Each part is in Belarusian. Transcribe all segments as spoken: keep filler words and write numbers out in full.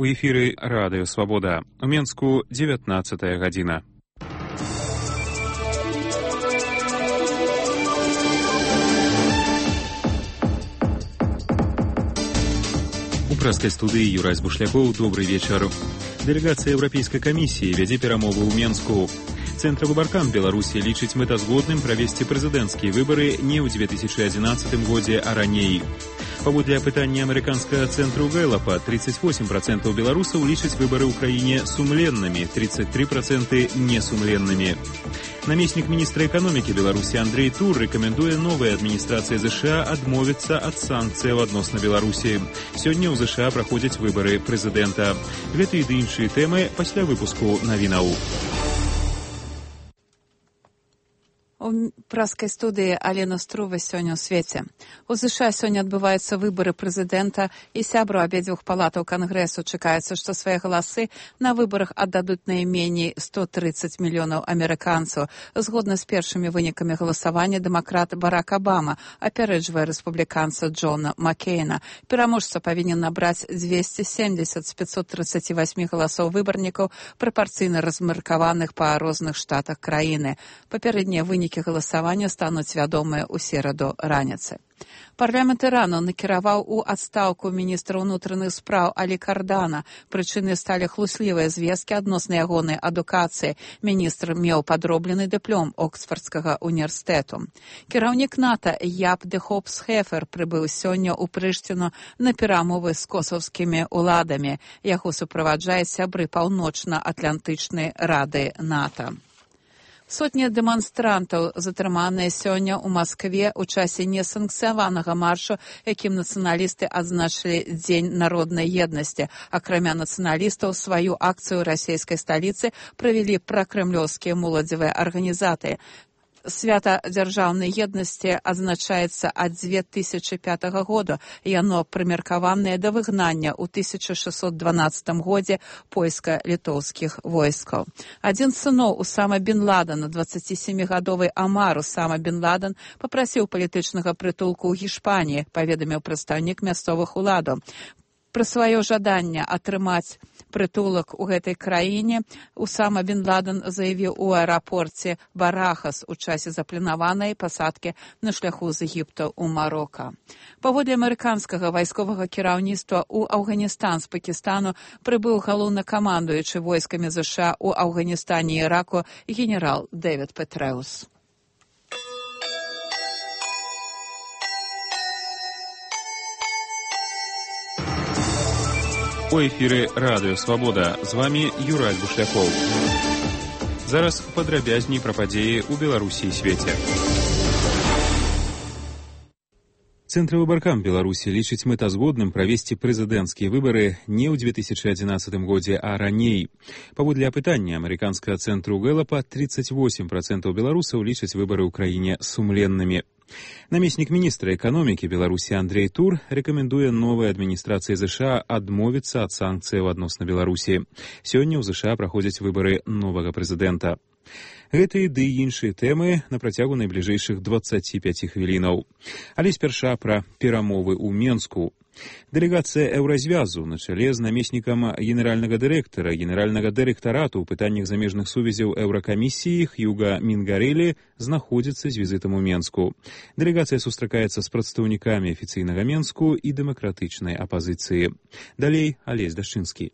У эфіры Радыё Свабода. У Менску дзевятнаццатая гадзіна. У прэскай студыі Юрась Бушлякоў. Добрый вечар. Дэлегацыя Еўрапейскай камісіі вядзе перамовы ў Менску. Цэнтравы баркан Беларусі лічыць мэтазгодным правесці прэзідэнцкія выбары не ў дзве тысячы адзінаццатым годзе, а раней. Паводле апытання амерыканскага цэнтру Гэлапа, тридцать восемь процентов беларусаў лічаць выбары ў краіне сумленнымі, тридцать три процента несумленнымі. Намеснік міністра эканомікі Беларусі Андрей Тур рэкамендуе новай адміністрацыі ЗША адмовіцца ад санкцыяў адносна Беларусі. Сёння ў ЗША праходзяць выбары прэзідэнта. Гэтыя ды іншыя тэмы пасля выпуску навінаў. У праскай студыі Алена Струва сёння ў свеце. У ЗША сёння адбываюцца выбары прэзідэнта, і сябру абедзвюх палатаў Кангрэсу чакаецца, што свае галасы на выбарах аддадуць найменей сто тридцать мільёнаў амерыканцаў. Згодна з першымі вынікамі галасавання, дэмакрат Барак Абама апярэджвае рэспубліканца Джона Маккейна. Пераможца павінен набраць двести семьдесят з пятьсот тридцати восьми галасоў выбарнікаў, прапарцыйна размеркаваных па розных штатах краіны. Папярэднія вынікі галасавання стануць вядомыя ў сераду раніцы. Парламент Ірану накіраваў у адстаўку міністра ўнутраных спраў Алі Кардана. Прычынай сталі хлуслівыя звесткі адносна ягонай адукацыі. Міністр меў падроблены дыплом Оксфордскага універсітэту. Кіраўнік НАТО Яп де Хопс-Хефер прыбыў сёння ў Прыштіну на перамовы з косаўскімі ўладамі. Яго суправаджаюць сябры Паўночна-Атлантычнай рады НАТО. Сотні дэманстрантаў затрыманыя сёння ў Маскве ў часе несанкцыяванага маршу, якім нацыяналісты адзначылі Дзень народнай еднасці. Акрамя нацыяналістаў, сваю акцыю ў расійскай сталіцы правялі пракрэмлёўскія моладзевыя арганізатары. Свята дзяржаўнай еднасці адзначаецца ад дзве тысячы пятага года. Яно прымеркаванае да выгнання ў тысяча шэсцьсот дванаццатым годзе польска-літоўскіх войскаў. Адзін з сыноў Усама бен Ладена, дваццацісемігадовы Амар Усама бен Ладен, папрасіў палітычнага прытулку ў Гішпаніі, паведаміў прадстаўнік мясцовых уладаў. Пра сваё жаданне атрымаць прытулак у гэтай краіне Усама бен Ладен заявіў у аэрапорце Барахас у часе запланаванай пасадкі на шляху з Егіпта ў Марока. Паводле амерыканскага вайсковага кіраўніцтва ў Афганістан з Пакістану прыбыў галоўнакамандуючы войскамі ЗША ў Афганістане і Іраку генерал Дэвід Петрэус. У эфіры Радыё Свабода. З вамі Юрась Бушлякоў. Зараз падрабязней пра падзеі ў Беларусі і свеце. Цэнтравы баркан Беларусі лічыць мэтазгодным правесці прэзідэнцкія выбары не ў дзве тысячы адзінаццатым годзе, а раней. Паводле апытання амерыканскага цэнтру Гэлапа, тридцать восемь процентов беларусаў лічаць выбары ў краіне сумленнымі. Намеснік міністра эканомікі Беларусі Андрей Тур рэкамендуе новай адміністрацыі ЗША адмовіцца ад санкцыяў адносна Беларусі. Сёння ў ЗША праходзяць выбары новага прэзідэнта. Гэтыя ды іншыя тэмы на працягу найбліжэйшых дваццаці пяці хвілінаў. Але спярша пра перамовы ў Менску. Дэлегацыя Еўразвязу на чале з намеснікам генеральнага дырэктара генеральнага дырэктарату ў пытаннях замежных сувязяў Еўракамісіі Хьюга Мінгарэлі знаходзіцца з візітам у Менску. Дэлегацыя сустракаецца з прадстаўнікамі афіцыйнага Менску і дэмакратычнай апазіцыі. Далей Алесь Дашчынскі.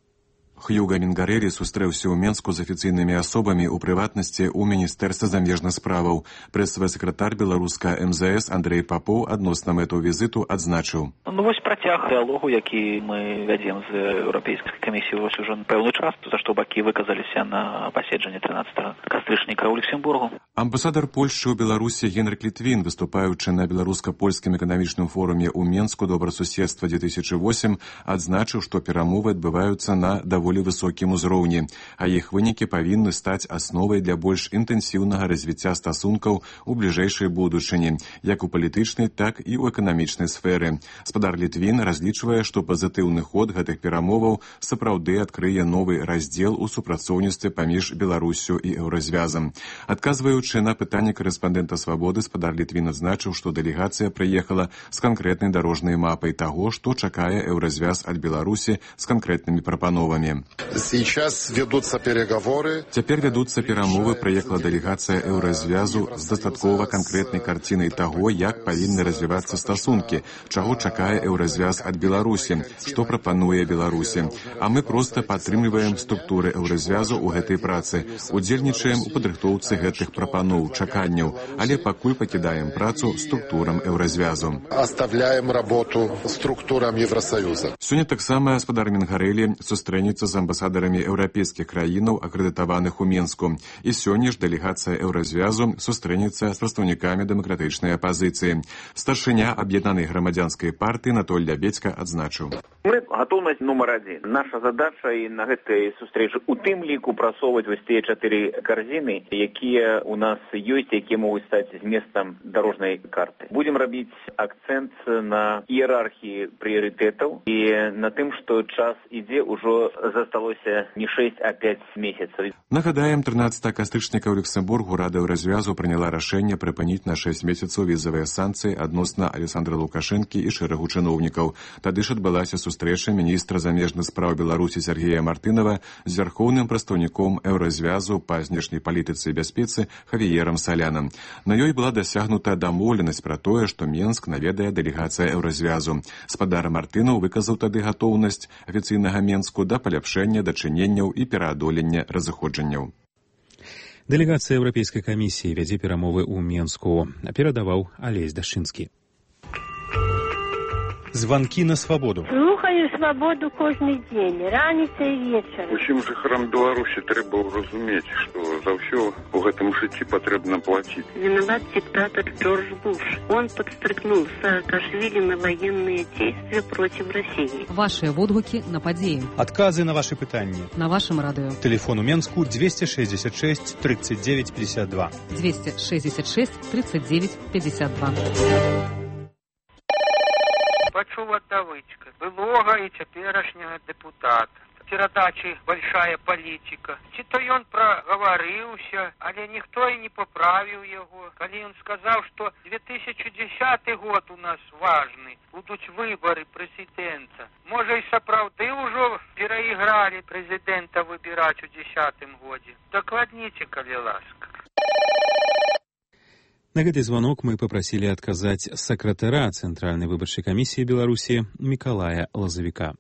Хьюга Мінгарэлі сустрэўся ў Менску з афіцыйнымі асобамі, у прыватнасці ў Міністэрстве замежных справаў. Прэсавы сакратар беларуска эм зэ эс Андрей Папоў адносна мэту візіту адзначыў. Ну вось працяг дыалогу, які мы вядзем з Еўрапейскай камісіяй вось ужо пэўны час, за што бакі выказаліся на паседжанні трынаццатага кастрычніка ў Люксембургу. Амбасадар Польшчы ў Беларусі Генрык Літвін, выступаючы на беларуска-польскім эканамічным форуме ў Менску добрасуседства две тысячи восемь, адзначыў, што перамовы адбываюцца на даволі даволі высокім узроўні, а іх вынікі павінны стаць асновай для больш інтэнсіўнага развіцця стасункаў у бліжэйшай будучыні, як у палітычнай, так і ў эканамічнай сферы. Спадар Літвін разлічвае, што пазітыўны ход гэтых перамоваў сапраўды адкрые новы раздзел у супрацоўніцтве паміж Беларуссю і Еўразвязам. Адказваючы на пытанне корэспандэнта «Свабоды», спадар Літвін адзначыў, што дэлегацыя прыехала з канкрэтнай дарожнай мапай таго, што чакае Еўразвяз ад Беларусі з канкрэтнымі прапановамі. Сейчас ведуцца переговоры. Цяпер вядуцца перамовы, прыехала дэлегацыя Еўразвязу з дастаткова канкрэтнай карцінай таго, як павінны развівацца стасункі, чаго чакае Еўразвяз ад Беларусі, што прапануе Беларусі. А мы проста падтрымліваем структуры Еўразвязу ў гэтай працы, удзельнічаем у падрыхтоўцы гэтых прапаноў, чаканняў, але пакуль пакідаем працу структурам Еўразвязу. Оставляем работу структурам Евросоюза. Сёння таксама спадар Мінгарэлі сустрэнецца з амбасадарамі еўрапейскіх краінаў, акрэдытаваных у Менску. І сёння ж дэлегацыя Еўразвязу сустрэнецца з прадстаўнікамі дэмакратычнай апазіцыі. Старшыня аб'яднанай грамадзянскай партыі Анатоль Лябедзька адзначыў. Мы готовность номер один. Наша задача і на гэтай сустрэчы у тым ліку прасоўваць вось тыя чатыры карзіны, якія у нас ёсць, якія могуць стаць зместам дарожнай карты. Будем рабіць акцэнт на іерархіі прыярытэтаў і на тым, што час ідзе, ўжо засталося не шэсць, а пяць месяцаў. Нагадаем, трынаццатага кастрычніка ў Люксембургу Рада Еўразвязу прыняла рашэнне прыпыніць на шэсць месяцаў візавыя санкцыі адносна Александра Лукашэнкі і шэрагу чыноўнікаў. Тады ж адбылася сустрэча міністра замежных спраў Беларусі Сергея Мартынова з вярхоўным прадстаўніком Еўразвязу па знешняй палітыцы і бяспецы Хавіерам Салянам. На ёй была дасягнута дамоўленасць пра тое, што Менск наведае дэлегацыя Еўразвязу. Спадар Мартынаў выказаў тады гатоўнасць афіцыйнага Менску да паляпшэння дачыненняў і пераадолення разыходжанняў. Дэлегацыя Еўрапейскай камісіі вядзе перамовы ў Менску, перадаваў Алесь Дашчынскі. Званкі на свабоду. Слухаю свабоду кожны дзень, раніца і вечар. Усім жыхарам Беларусі трэба разумець, што за ўсё у гэтым жыцці патрэбна плаціць. Виноват диктатор Джордж Буш. Он подстрыкнул Саакашвили на военные действия против России. Ваши водгуки на падзеі. Адказы на ваши пытанні. На вашем радыё. Телефон у Менску двести шестьдесят шесть тридцать девять пятьдесят два. двести шестьдесят шесть тридцать девять пятьдесят два. Пачуў ад давычка былога і цяперашняга дэпутата. Перадачы большая палітика. Ці то ён прагаварыўся, але ніхто і не паправіў яго. Калі ён сказаў, што две тысячи десятый год у нас важны, будуць выбары прэзідэнта. Можа і сапраўды ўжо пераігралі прэзідэнта выбіраць у дзесятым годзе. Дакладніце, калі ласка. На гэты звонок мы попросили отказать сакратара Центральной выборчей комиссии Беларуси Миколая Лозовика.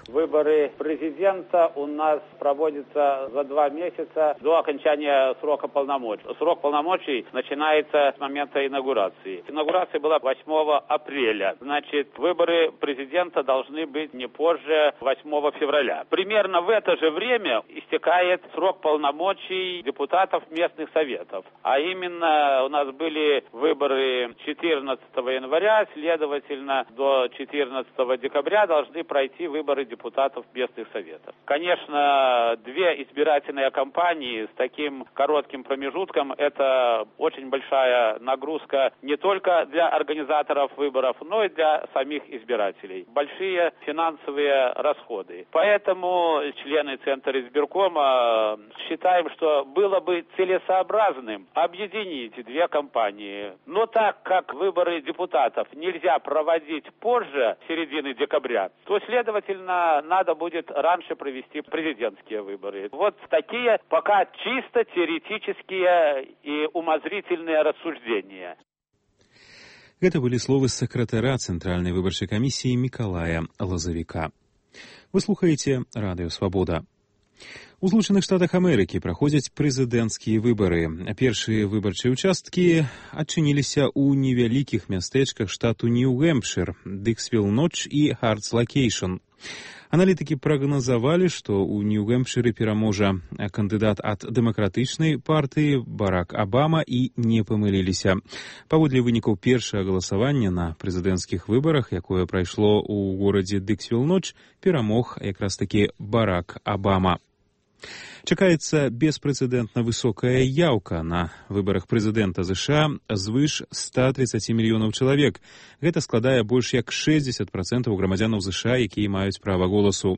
Выборы президента у нас проводятся за два месяца до окончания срока полномочий. Срок полномочий начинается с момента инаугурации. Инаугурация была восьмого апреля. Значит, выборы президента должны быть не позже восьмого февраля. Примерно в это же время истекает срок полномочий депутатов местных советов. А именно у нас были выборы четырнадцатого января, следовательно, до четырнадцатого декабря должны пройти выборы депутатов местных советов. Конечно, две избирательные кампании с таким коротким промежутком – это очень большая нагрузка не только для организаторов выборов, но и для самих избирателей. Большие финансовые расходы. Поэтому члены Центра избиркома считаем, что было бы целесообразным объединить две кампании. Но так как выборы депутатов нельзя проводить позже середины декабря, то, следовательно, надо будет раньше провести президентские выборы. Вот такие пока чисто теоретические и умозрительные рассуждения. Это были словы сакратара Центральной выборчей комиссии Миколая Лозовика. Вы слухаете Радыё Свабода. У Злучаных Штатах Амерыкі праходзяць прэзідэнцкія выбары. Першыя выбарчыя ўчасткі адчыніліся ў невялікіх мястэчках штату Нью-Гэмпшыр, Дыксвіл-Ноч і Хартс-Локейшн. Аналітыкі прагназавалі, што ў Нью-Гэмпшыры пераможа кандыдат ад дэмакратычнай партыі Барак Абама і не памыліліся. Паводле вынікаў першага галасавання на прэзідэнцкіх выбарах, якое прайшло ў горадзе Дыксвіл-Ноч, перамог якраз такі Барак Абама. Чакаецца беспрэцэдэнтна высокая яўка на выбарах прэзідэнта ЗША звыш ста тридцати мільёнаў чалавек. Гэта складае больш як шэсцьдзесят працэнтаў грамадзянаў ЗША, якія маюць права голасу.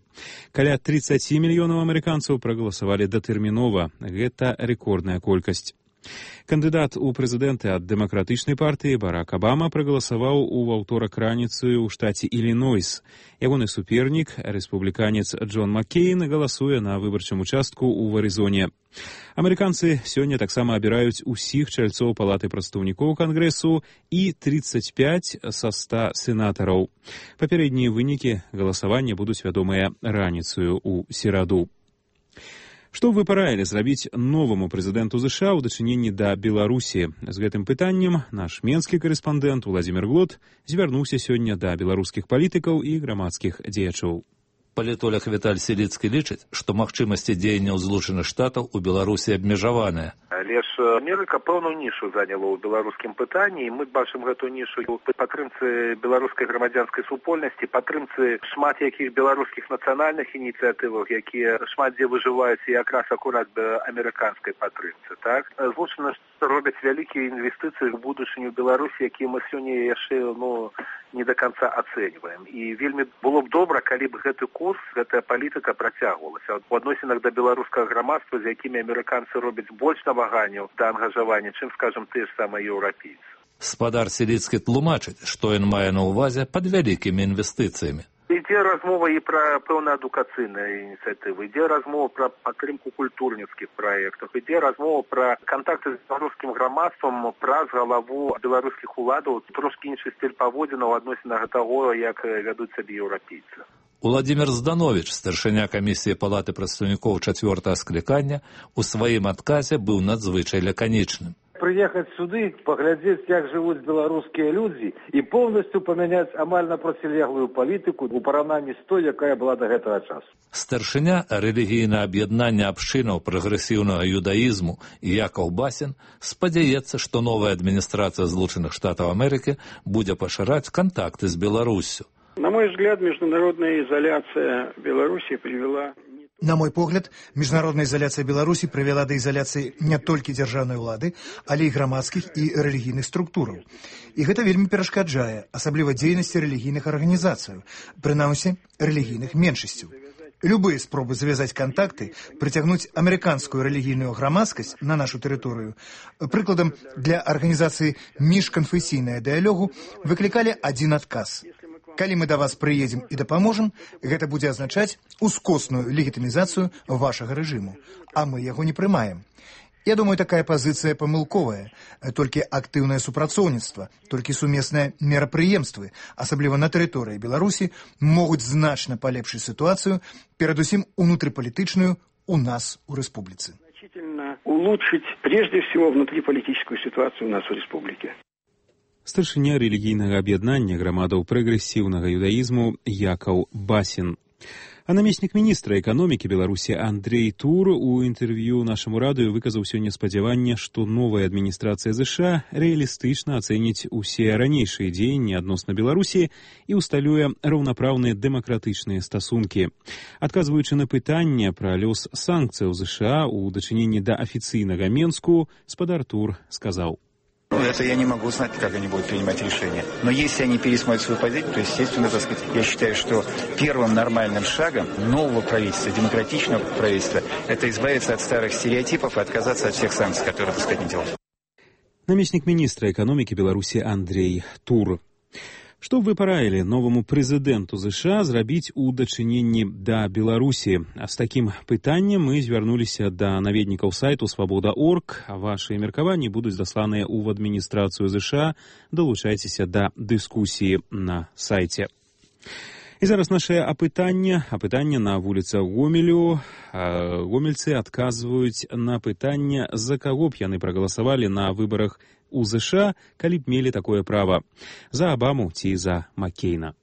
Каля тридцати мільёнаў амерыканцаў прагаласавалі датэрмінова. Гэта рэкордная колькасць. Кандыдат у прэзідэнты ад дэмакратычнай партыі Барак Абама прагаласаваў у аўторак раніцаю ў штаце Ілінойс. Ягоны супернік, рэспубліканец Джон Маккейн, галасуе на выбарчым участку ў Арызоне. Амерыканцы сёння таксама абіраюць усіх чальцоў палаты прадстаўнікоў Кангрэсу і тридцать пять са ста сенатараў. Папярэднія вынікі галасавання будуць вядомыя раніцаю ў сераду. Што вы параілі зрабіць новаму прэзідэнту ЗША ў дачыненні да Беларусі? З гэтым пытаннем наш менскі карэспандэнт Уладзімір Глот звярнуўся сёння да беларускіх палітыкаў і грамадскіх дзеячоў. Палітолог Віталь Селіцкі лічыць, што магчымасці дзеянняў Злучаных Штатаў у Беларусі абмежаваныя. Але ж Амерыка пэўную нішу заняла ў беларускім пытанні, і мы бачым гэту нішу ў падтрымцы беларускай грамадзянскай супольнасці, падтрымцы шмат якіх беларускіх нацыянальных ініцыятываў, якія шмат дзе выжываюць якраз акурат да амерыканскай падтрымцы. Так? Злучаны робяць вялікія інвестыцыі ў будучыню Беларусі, якія мы сёння яшчэ ну, не до конца ацэньваем. І вельмі было б добра, калі б гэты курс, гэтая палітыка працягвалася. У адносінах да беларускага грамадства, з якімі амерыканцы робяць больш наваганняў да ангажавання, чым, скажам, тыя ж самыя еўрапейцы. Спадар Селіцкі тлумачыць, што ён мае на ўвазе пад вялікімі інвестыцыямі. Ідзе размова і пра пэўна адукацыйныя ініцыятывы, ідзе размова пра падтрымку культурніцкіх праектаў, ідзе размова пра кантакты з беларускім грамадствам праз галаву беларускіх уладаў, трошкі іншы стыль паводзінаў у адносінах таго, як вядуць сабе еўрапейцы. Уладзімір Здановіч, старшыня камісіі палаты прадстаўнікоў чацвёртага склікання, у сваім адказе быў надзвычай лаканічным. Приехать сюды, поглядеть, как живут белорусские люди, и полностью поменять амально протилеглую политику у параўнанні з той, якая была до гэтага часу. Старшыня рэлігійнае аб'яднання абшчынаў прагрэсіўнага юдаізму Якаў Басін спадзяецца, што новая адміністрацыя Злучаных Штатаў Амерыкі будзе пашыраць кантакты з Беларуссю. На мой взгляд, международная изоляция Беларуси привела... На мой погляд, міжнародная ізаляцыя Беларусі прывяла да ізаляцыі не толькі дзяржаўнай улады, але і грамадскіх і рэлігійных структураў. І гэта вельмі перашкаджае, асабліва дзейнасці рэлігійных арганізацыяў, прынамсі рэлігійных меншасцяў. Любыя спробы завязаць кантакты, прыцягнуць амерыканскую рэлігійную грамадскасць на нашу тэрыторыю, прыкладам для арганізацыі міжканфесійнага дыялогу, выклікалі адзін адказ. Калі мы да вас прыедзем і дапаможам, гэта будзе азначаць ускосную легітымізацыю вашага рэжыму, а мы яго не прымаем. Я думаю, такая пазіцыя памылковая. Толькі актыўнае супрацоўніцтва, толькі сумесныя мерапрыемствы, асабліва на тэрыторыі Беларусі, могуць значна палепшыць сітуацыю, перадусім унутрыпалітычную у нас у рэспубліцы. Значительно улучшить прежде всего внутриполитическую ситуацию у нас у республике. Старшыня рэлігійнага аб'яднання грамадаў прагрэсіўнага юдаізму Якаў Басін. А намеснік міністра эканомікі Беларусі Андрей Тур у інтэрв'ю нашаму радыё выказаў сёння спадзяванне, што новая адміністрацыя ЗША рэалістычна ацэніць усе ранейшыя дзеянні адносна Беларусі і ўсталюе раўнапраўныя дэмакратычныя стасункі. Адказваючы на пытанне пра лёс санкцыяў ЗША у дачыненні да афіцыйнага Менску, спадар Тур сказаў: Ну, это я не могу знать, как они будут принимать решения. Но если они пересмотрят свою позицию, то, естественно, так сказать, я считаю, что первым нормальным шагом нового правительства, демократичного правительства, это избавиться от старых стереотипов и отказаться от всех санкций, которые, так сказать, не делают. Намеснік міністра эканомікі Беларусі Андрей Тур. Што вы параілі новаму прэзідэнту ЗША зрабіць у дачыненні да Беларусі? З такім пытаннем мы звярнуліся да наведнікаў сайту свабода точка орг. Вашыя меркаванні будуць дасланыя ў адміністрацыю ЗША. Далучайцеся да дыскусіі на сайце. І зараз нашае апытанне. Апытанне на вуліцах Гомелю. Гомельцы адказваюць на пытанне, за каго б яны прагаласавалі на выбарах у ЗША, калі б мелі такое права. За Абаму ці за Маккейна.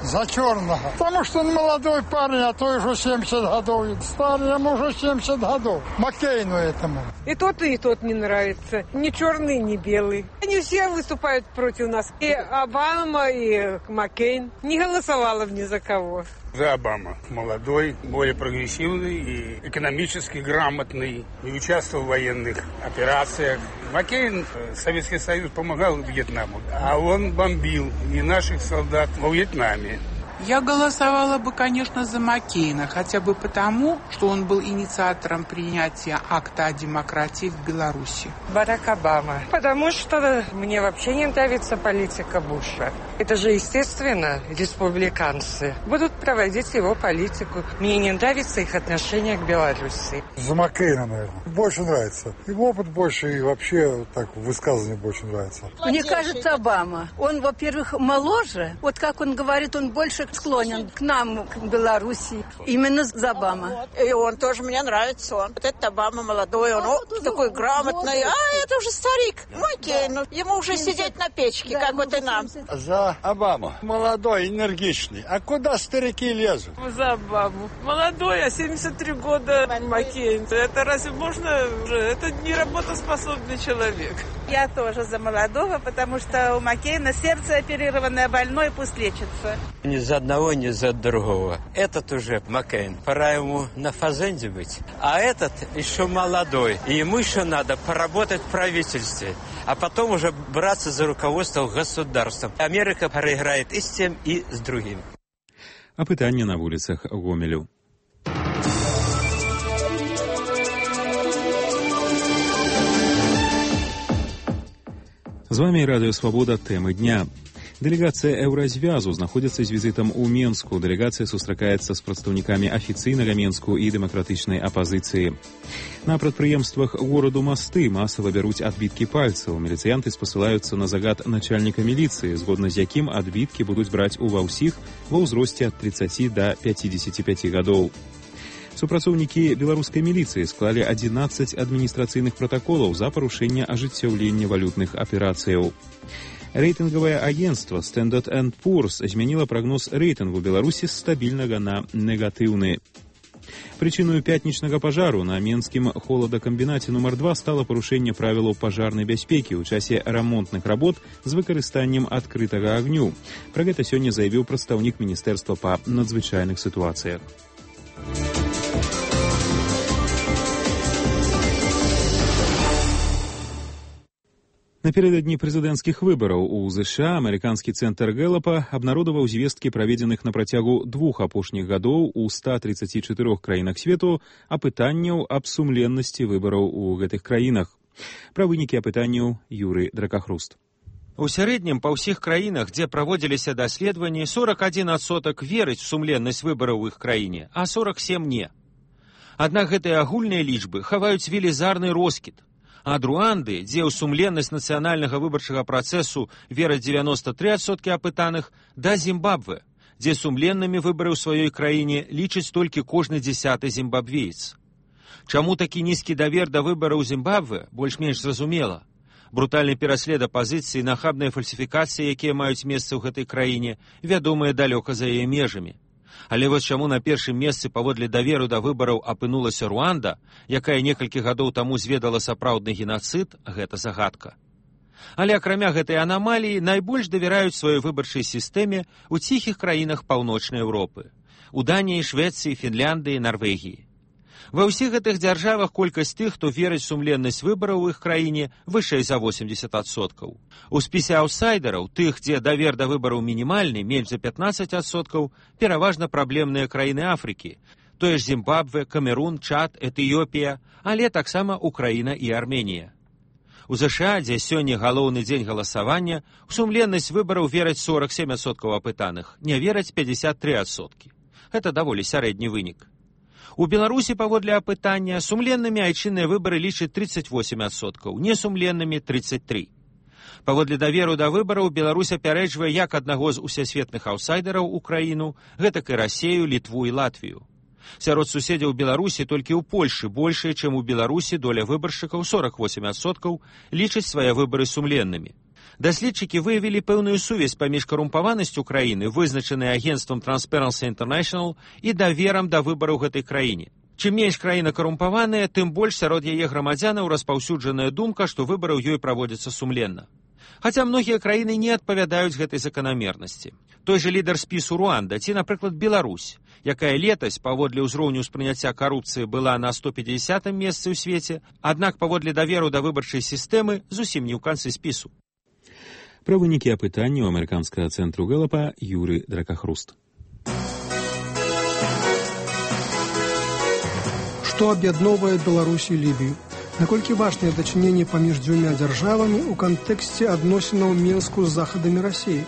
За черного. Потому что он молодой парень, а то уже семьдесят годов. Старый, ему уже семьдесят годов. Маккейну этому. И тот, и тот не нравится. Ни черный, ни белый. Они все выступают против нас. И Обама, и Маккейн. Не голосовала бы ни за кого. За Обама. Молодой, более прогрессивный и экономически грамотный. И участвовал в военных операциях. Маккейн, Советский Союз помогал Вьетнаму, а он бомбил и наших солдат во Вьетнаме. Я голосовала бы, конечно, за Маккейна, хотя бы потому, что он был инициатором принятия акта о демократии в Беларуси. Барак Обама. Потому что мне вообще не нравится политика Буша. Это же, естественно, республиканцы будут проводить его политику. Мне не нравится их отношение к Беларуси. За Маккейна, наверное. Больше нравится. Его опыт больше, и вообще так высказывание больше нравится. Мне кажется, Обама. Он, во-первых, моложе. Вот как он говорит, он больше склонен к нам, к Беларуси. Именно за Обама. И он тоже мне нравится. Он. Вот этот Обама молодой, он о, такой грамотный. А это уже старик. Маккейн. Ну, ему уже сидеть на печке, как вот и нам. За Обаму. Молодой, энергичный. А куда старики лезут? За Обаму. Молодой, а семьдесят три года Маккейн. Это разве можно? Это не работоспособный человек. Я тоже за молодого, потому что у Маккейна сердце оперированное, больное, пусть лечится. Ни за одного, ни за другого. Этот уже Маккейн. Пора ему на фазенде быть. А этот еще молодой. И ему еще надо поработать в правительстве. А потом уже браться за руководство государством. Америка проиграет и с тем, и с другим. Апытанне на вуліцах Гомелю. З вами Радио Свобода. Тэмы дня. Дэлегацыя Еўразвязу знаходзіцца з візітам у Менску. Дэлегацыя сустракаецца з прадстаўнікамі афіцыйнага Менску і дэмакратычнай апазіцыі. На прадпрыемствах гораду Масты масава бяруць адбіткі пальцаў. Міліцыянты спасылаюцца на загад начальніка міліцыі, згодна з якім адбіткі будуць браць ува ўсіх ва ўзросце ад тридцати да пятидесяти пяти гадоў. Супрацоўнікі беларускай міліцыі склалі адзінаццаць адміністрацыйных пратаколаў за парушэнне ажыццяўлення валютных аперацыяў. Рэйтынгавае агенцтва Standard энд Poor's змяніла прагноз рэйтынгу Беларусі з стабільнага на негатыўны. Прычыною пятнічнага пажару на менскім холадакамбінаце нумар два стала парушэнне правілаў пажарнай бяспекі ў часе рамонтных работ з выкарыстаннем адкрытага агню. Пра гэта сёння заявіў прадстаўнік міністэрства па надзвычайных сітуацыях. Напередадні прэзідэнцкіх выбараў у ЗША амерыканскі цэнтр Гэлапа абнародаваў звесткі, праведзеных на працягу двух апошніх гадоў у ста тридцати чатырох краінах свету, апытанняў аб сумленнасці выбараў у гэтых краінах. Пра вынікі апытанняў Юрый Дракахруст. У сярэднім па ўсіх краінах, дзе праводзіліся даследаванні, сорок один адсотак верыць в сумленнасць выбараў у іх краіне, а сорок семь не. Аднак гэтыя агульныя лічбы хаваюць велізарны роскід. Ад Руанды, дзе ў сумленнасць нацыянальнага выбарчага працэсу вераць девяносто три адсоткі апытаных, да Зімбабве, дзе сумленнымі выбары ў сваёй краіне лічыць толькі кожны дзясяты зімбабвеец. Чаму такі нізкі давер да выбараў Зімбабве, больш-менш зразумела. Брутальны пераслед апазіцыі, нахабныя фальсіфікацыі, якія маюць месца ў гэтай краіне, вядомыя далёка за яе межамі. Але вось чаму на першым месцы паводле даверу да выбараў апынулася Руанда, якая некалькі гадоў таму зведала сапраўдны генацыд, гэта загадка. Але акрамя гэтай анамаліі найбольш давяраюць сваёй выбарчай сістэме ў ціхіх краінах паўночнай Еўропы, у Даніі, Швецыі, Фінляндыі, Нарвегіі. Ва ўсіх гэтых дзяржавах колькасць тых, хто верыць сумленнасць выбараў у іх краіне, вышэй за восемьдесят адсоткаў. У спісе аўсайдераў, тых, дзе давер да выбараў мінімальны, менш за пятнадцать адсоткаў, пераважна праблемныя краіны Афрыкі, тое ж Зімбабве, Камерун, Чад, Этыёпія, але таксама Украіна і Арменія. У ЗША, дзе сёння галоўны дзень галасавання, у сумленнасць выбараў вераць сорок семь адсоткаў апытаных, не вераць пятьдесят три адсоткі. Гэта даволі сярэдні вынік. У Беларусі паводле апытання сумленнымі айчынныя выбары лічаць тридцать восемь адсоткаў, несумленнымі тридцать три. Паводле даверу да выбараў Беларусь апярэджвае як аднаго з усесветных аўсайдераў у краіну, гэтак і Расею, Літву і Латвію. Сярод суседзяў Беларусі толькі ў Польшы большая, чым у Беларусі доля выбаршчыкаў сорок восемь адсоткаў лічаць свае выбары сумленнымі. Даследчыкі выявілі пэўную сувязь паміж карумпаванасцю краіны, вызначанай агенцтвам Transparency International, і даверам да выбараў гэтай краіне. Чым менш краіна карумпаваная, тым больш сярод яе грамадзянаў распаўсюджаная думка, што выбары ў ёй праводзяцца сумленна. Хаця многія краіны не адпавядаюць гэтай заканамернасці. Той жа лідар спісу Руанда ці, напрыклад, Беларусь, якая летась паводле ўзроўню ўспрыняцця карупцыі была на сто пятидесятым месцы ў свеце, аднак паводле даверу да выбарчай сістэмы зусім не ў канцы спісу. Пра вынікі апытання ў амерыканскага цэнтру Гэлапа Юры Дракахруст. Што аб'ядноўвае Беларусь і Лібію? Наколькі важныя дачыненні паміж дзвюма дзяржавамі ў кантэксце адносінаў Мінску з захадамі Расіі?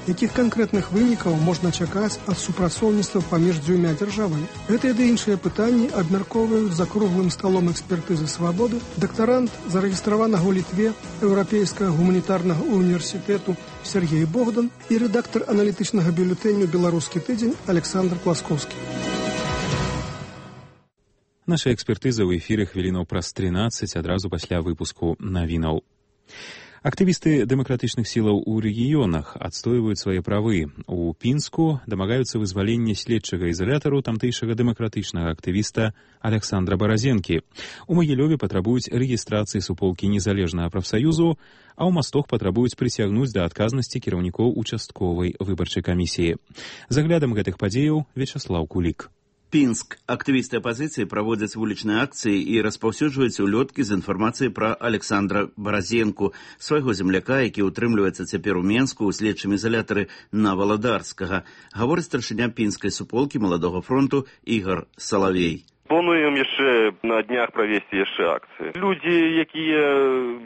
Якіх канкрэтных вынікаў можна чакаць ад супрацоўніцтва паміж дзвюма дзяржавамі? Гэтыя ды іншыя пытанні абмяркоўваюць за круглым сталом экспертызы «Свабоды» дактарант, зарэгістраванага ў Літве Еўрапейскага гуманітарнага універсітэту Сергей Богдан і рэдактар аналітычнага бюлетэню «Беларускі тыдзень» Александр Класкоўскі. Наша экспертыза ў эфіры хвілінаў праз трынаццаць адразу пасля выпуску навінаў. Актывісты дэмакратычных сілаў у рэгіёнах адстойваюць свае правы. У Пінску дамагаюцца вызвалення следчага ізалятару тамтэйшага дэмакратычнага актывіста Александра Баразенкі. У Магілёве патрабуюць рэгістрацыі суполкі незалежнага прафсаюзу, а ў Мастох патрабуюць прыцягнуць да адказнасці кіраўнікоў участковай выбарчай камісіі. За аглядам гэтых падзеяў Вячаслаў Кулік. Пінск. Актывісты апазіцыі праводзяць вулічныя акцыі і распаўсюджваюць улёткі з інфармацыяй пра Александра Баразенку, свайго земляка, які ўтрымліваецца цяпер у Менску ў следчым ізалятары на Валадарскага, гаворыць старшыня пінскай суполкі Маладога фронту Ігор Салавей. Плануем яшчэ на днях правесці яшчэ акцыі. Людзі, якія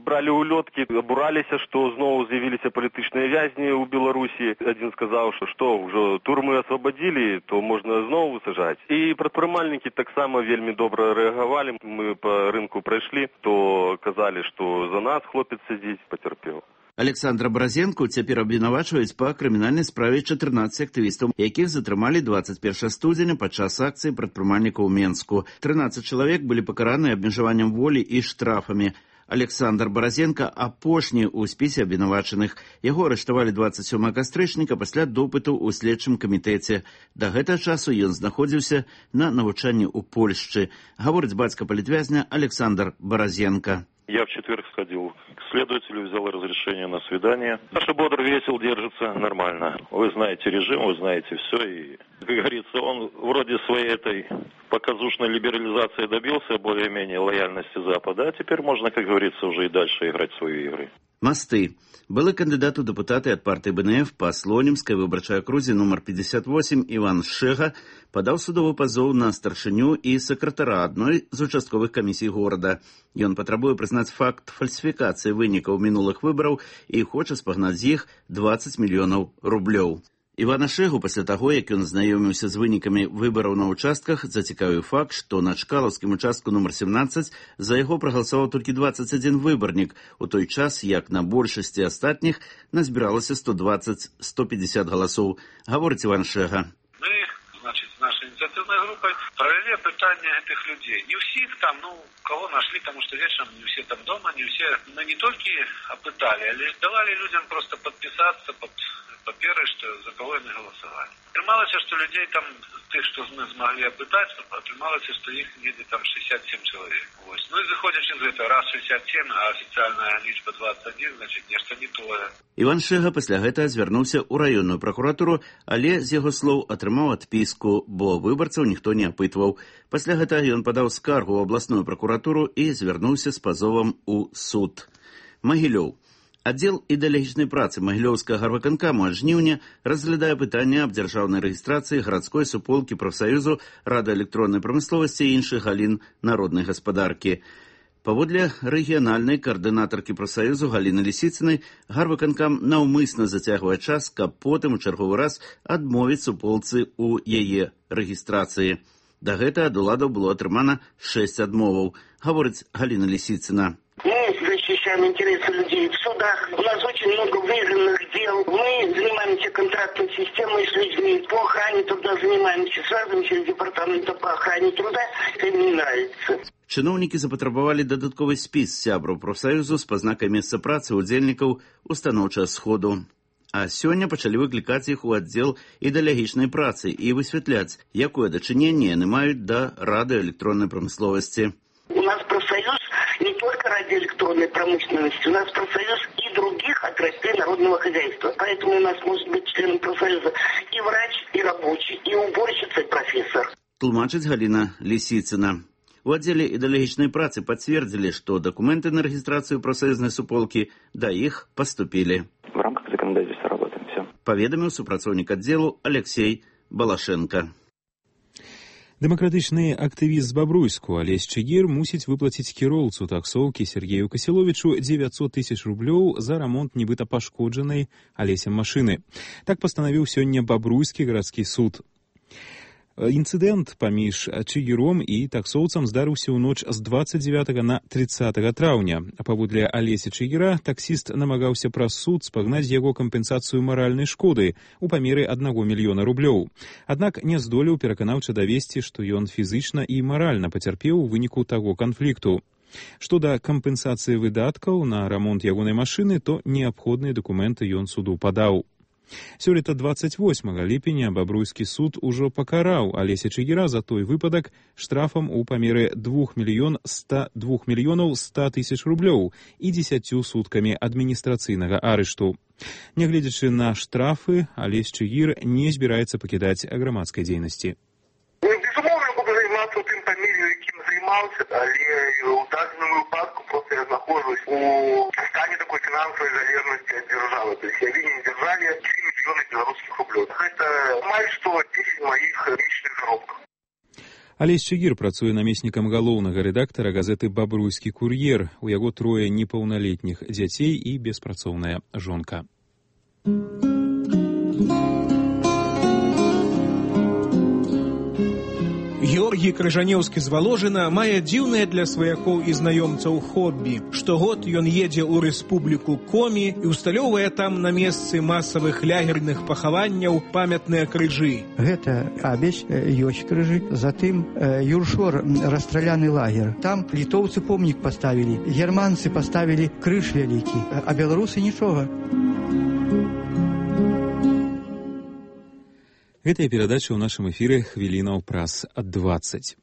бралі улёткі, абураліся, што зноў з'явіліся палітычныя вязні ў Беларусі. Адзін сказаў, што што, ўжо турмы асвабадзілі, то можна зноў высажаць. І прадпрымальнікі таксама вельмі добра рэагавалі. Мы па рынку прайшлі, то казалі, што за нас хлопец сядзіць, пацярпеў. Александра Баразенку цяпер абвінавачваюць па крымінальнай справе чатырнаццаць актывістаў, якіх затрымалі дваццаць першага студзеня падчас акцыі прадпрымальнікаў у Менску. трынаццаць чалавек былі пакараны абмежаваннем волі і штрафамі. Александр Баразенка апошні ў спісе абвінавачаных. Яго арыштавалі дваццаць сёмага кастрычніка пасля допыту ў следчым камітэце. Да гэтага часу ён знаходзіўся на навучанні ў Польшчы. Гаворыць бацька палітвязня Александр Баразенка. Я в четверг сходил к следователю, взял разрешение на свидание. Саша бодр, весел, держится нормально. Вы знаете режим, вы знаете все. И, как говорится, он вроде своей этой показушной либерализации добился более-менее лояльности Запада. А теперь можно, как говорится, уже и дальше играть свои игры. Масты. Былы кандидат у депутаты от партии БНФ по Слонимской выборчей окрузе номер пятьдесят восемь Иван Шега подал судовый позов на старшыню и секретара одной из участковых комиссий города. Ён патрабуе признать факт фальсификации вынікаў минулых выборов и хочет спагнаць з іх двадцать миллионов рублёў. Івана Шэгу пасля таго, як ён знаёміўся з вынікамі выбараў на участках, зацікавіў факт, што на Чкалаўскім участку номер семнадцаць за яго прагаласаваў толькі двадцать один выбарнік, у той час, як на большасці астатніх назбіралася сто двадцать - сто пятьдесят галасоў, гаворыць Іван Шэга. Мы, значит, с нашей инициативной группой провели опытание этих людей. Не всех там, ну, кого нашли, потому что вечером не все там дома, не все. Мы не только опытали, а лишь давали людям просто подписаться под паперы, что за кого они голосовали. Атрымалася, что людей там, тех, что мы смогли опытать, атрымалася, что их где-то там шестьдесят семь человек. Вот. Ну и заходячи из этого, раз шестьдесят семь, а официальная лічба двадцать один, значит, нешта не тое. Іван Шэга пасля гэтага звярнуўся ў раённую пракуратуру, але, з яго слоў, атрымаў адпіску, бо выбарцаў ніхто не апытваў. Пасля гэтага ён падаў скаргу ў абласную пракуратуру і звярнуўся з пазовам у суд. Магілёў. Аддзел ідэалагічнай працы Магілёўскага гарвыканкаму ад жніўня разглядае пытанне аб дзяржаўнай рэгістрацыі гарадской суполкі прафсаюзу радыёэлектроннай прамысловасці і іншых галін народнай гаспадаркі. Паводле рэгіянальнай каардынатаркі прафсаюзу Галіны Лісіцынай, гарвыканкам наўмысна зацягвае час, каб потым у чарговы раз адмовіць суполцы ў яе рэгістрацыі. Да гэтага ад уладаў было атрымана шэсць адмоваў, гаворыць Галіна Лісіцына. Мы защищаем интересы людей в судах. У нас очень много выигранных дел. Мы занимаемся контрактной системой с людьми. По охране труда занимаемся. Связываемся с департаментом по охране труда. Это им не нравится. Чыноўнікі запатрабавалі дадатковы спіс сябраў прафсаюзу з пазнакай месца працы ўдзельнікаў устаноўчага сходу. А сёння пачалі выклікаць іх у аддзел ідэалагічнай працы і высвятляць, якое дачыненне яны маюць да радыёэлектроннай прамысловасці. У нас профсоюз не только радиоэлектронной промышленности, у нас профсоюз и других отраслей народного хозяйства. Поэтому у нас может быть членом профсоюза и врач, и рабочий, и уборщица, и профессор. Тлумачыць Галина Лисицына. У отделе идеологичной працы подтвердили, что документы на регистрацию профсоюзной суполки до их поступили. В рамках законодательства работаем, все. Поведомил супрацоўнік отделу Алексей Балашенко. Дэмакратычны актывіст з Бабруйску Алесь Чыгір мусіць выплаціць кіроўцу таксоўкі Сергею Касіловічу дзевяцьсот тысяч рублёў за рамонт нібыта пашкоджанай Алесем машыны. Так пастанавіў сёння Бабруйскі гарадскі суд. Інцыдэнт паміж Чыгіром і таксоўцам здарыўся ў ноч з дваццаць дзевятага на трыццатага траўня. А паводле Алеся Чыгіра таксіст намагаўся праз суд спагнаць з яго кампенсацыю маральнай шкоды ў памеры аднаго мільёна рублёў. Аднак не здолеў пераканаўча давесці, што ён фізычна і маральна пацярпеў у выніку таго канфлікту. Што да кампенсацыі выдаткаў на рамонт ягонай машыны, то неабходныя дакументы ён суду падаў. Сёлета дваццаць восьмага ліпеня Бабруйскі суд ужо пакараў Алеся Чыгіра за той выпадак штрафам у памеры двух мільёнаў ста тысяч рублёў і дзесяццю суткамі адміністрацыйнага арышту. Нягледзячы на штрафы, Алесь Чыгір не збіраецца пакідаць грамадскай дзейнасці. Безумоўна, буду займацца ў тым памеры, якім займаўся, але ў дадзеным выпадку проста я знаходжусь у стане такой фінансавай залежнасці ад дзяржавы. То есть я вінен дзяржаве тры мільёны беларускіх рублёў. Гэта амаль што дзесяць маіх месячных заробкаў. Алесь Чыгір працуе намеснікам галоўнага рэдактара газеты «Бабруйскі кур'ер». У яго трое непаўналетніх дзяцей і беспрацоўная жонка. Георгій Крыжанеўскі з Валожына мае дзіўнае для сваякоў і знаёмцаў хоббі. Штогод ён едзе ў рэспубліку Комі і усталёўвае там на месцы масавых лягерных пахаванняў памятныя крыжы. Гэта Абесь, ёсць крыжы, затым Юршор, расстраляны лагер. Там літоўцы помнік паставілі, германцы паставілі крыж вялікі, а беларусы нічога. Гэтая перадача ў нашым эфіры хвілінаў праз дваццаць.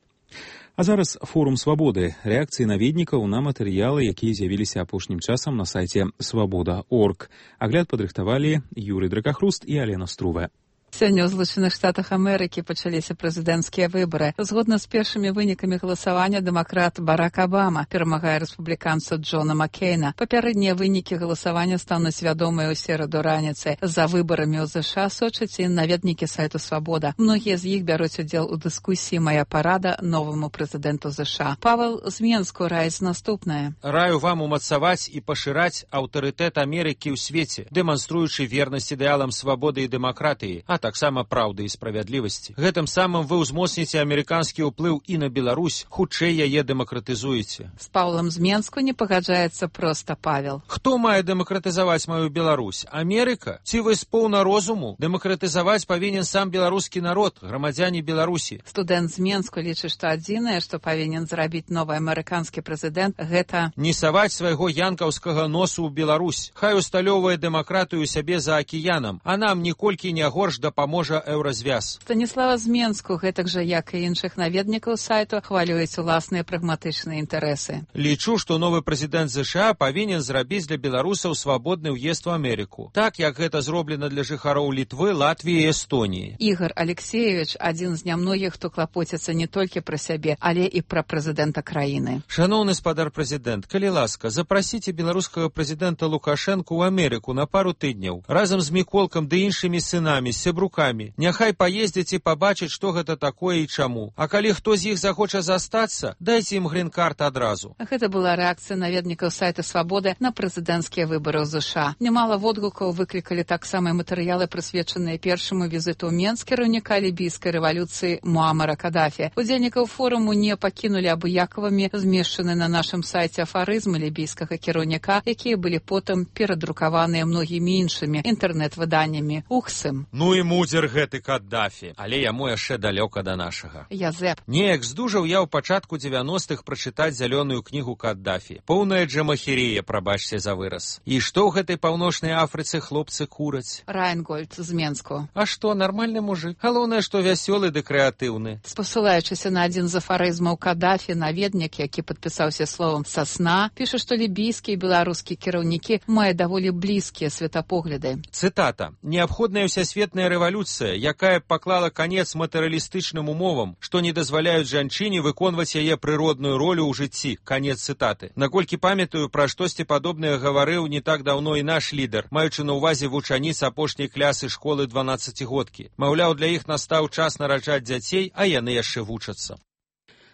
А зараз форум свабоды. Рэакцыі наведнікаў на матэрыялы, якія з'явіліся апошнім часам на сайце свабода точка орг. Агляд падрыхтавалі Юрый Дракахруст і Алена Струве. Сёння ў Злучаных Штатах Амерыкі пачаліся прэзідэнцкія выбары. Згодна з першымі вынікамі галасавання дэмакрат Барак Абама перамагае рэспубліканца Джона Маккейна. Папярэднія вынікі галасавання стануць вядомыя ў сераду раніцы. За выбарамі ў ЗША сочаць і наведнікі сайту «Свабода». Многія з іх бяруць удзел у дыскусіі «Мая парада» новаму прэзідэнту ЗША. Павел з Менску раіць наступнае. Раю вам умацаваць і пашыраць аўтарытэт Амерыкі ў свеце, дэманструючы вернасць ідэалам свабоды і дэмакратыі, а таксама праўды і справядлівасці. Гэтым самым вы ўзмоцніце амерыканскі ўплыў і на Беларусь, хутчэй яе дэмакратызуеце. З Паўлам з Менску не пагаджаецца проста Павел. Хто мае дэмакратызаваць маю Беларусь? Амерыка? Ці вы з поўна розуму? Дэмакратызаваць павінен сам беларускі народ, грамадзяне Беларусі. Студэнт з Менску лічыць, што адзінае, што павінен зрабіць новы амерыканскі прэзідэнт, гэта не саваць свайго янкаўскага носу ў Беларусь. Хай усталёўвае дэмакратыю сябе за акіянам, а нам ніколькі не горш дапаможа еўразвяз. Станіслава з Менску, гэтак жа, як і іншых наведнікаў сайту, хвалююць уласныя прагматычныя інтарэсы. Лічу, што новы прэзідэнт ЗША павінен зрабіць для беларусаў свабодны ўезд у Амерыку. Так, як гэта зроблена для жыхароў Літвы, Латвіі і Эстоніі. Ігор Алексеевич адзін з нямногіх, хто клапоціцца не толькі пра сябе, але і пра прэзідэнта краіны. Шаноўны спадар прэзідэнт, калі ласка, запрасіце беларускага прэзідэнта Лукашэнку ў Амерыку на пару тыдняў, разам з Міколкам ды іншымі сынамі, сябрукамі. Няхай паездзяць і пабачаць, што гэта такое і чаму. А калі хто з іх захоча застацца, дайце ім грін-карт адразу. Гэта была рэакцыя наведнікаў сайта «Свабоды» на прэзідэнцкія выбары ў ЗША. Нямала водгукаў выклікалі таксама матэрыялы, прысвечаныя першаму візіту ў Менск кіраўніка лібійскай рэвалюцыі Муамара Кадафі. Удзельнікаў форуму не пакінулі абыякавымі змешчаны на нашым сайце афарызмы лібійскага кіраўніка, якія былі потым перадрукаваныя многімі іншымі інтэрнэт-выданнямі. Ухсым. Ну і мудзер гэты Каддафі, але яму яшчэ далёка да нашага. Язэп. Неяк здужаў я ў пачатку дзевяностых прачытаць зялёную кнігу Каддафі. Поўная джамахерія, прабачце за выраз. І што ў гэтай паўночнай Афрыцы хлопцы кураць? Райнгольд з Менску. А што, нармальны мужик? Галоўнае, што вясёлы ды крэатыўны. Спасылаючыся на адзін з афарызмаў Каддафі, наведнік, які падпісаўся словам «сасна», піша, што лібійскія і беларускія кіраўнікі мае даволі блізкія светапогляды. Цытата. «Неабходная ўсясветная рэвалюцыя, якая паклала канец матэрыялістычным умовам, што не дазваляюць жанчыне выконваць яе прыродную ролю ў жыцці». Канец цытаты. Наколькі памятаю, пра штосьці падобнае гаварыў не так даўно і наш лідар, маючы на ўвазе вучаніц апошняй клясы школы дванаццацігодкі. Маўляў, для іх настаў час нараджаць дзяцей, а яны яшчэ вучацца.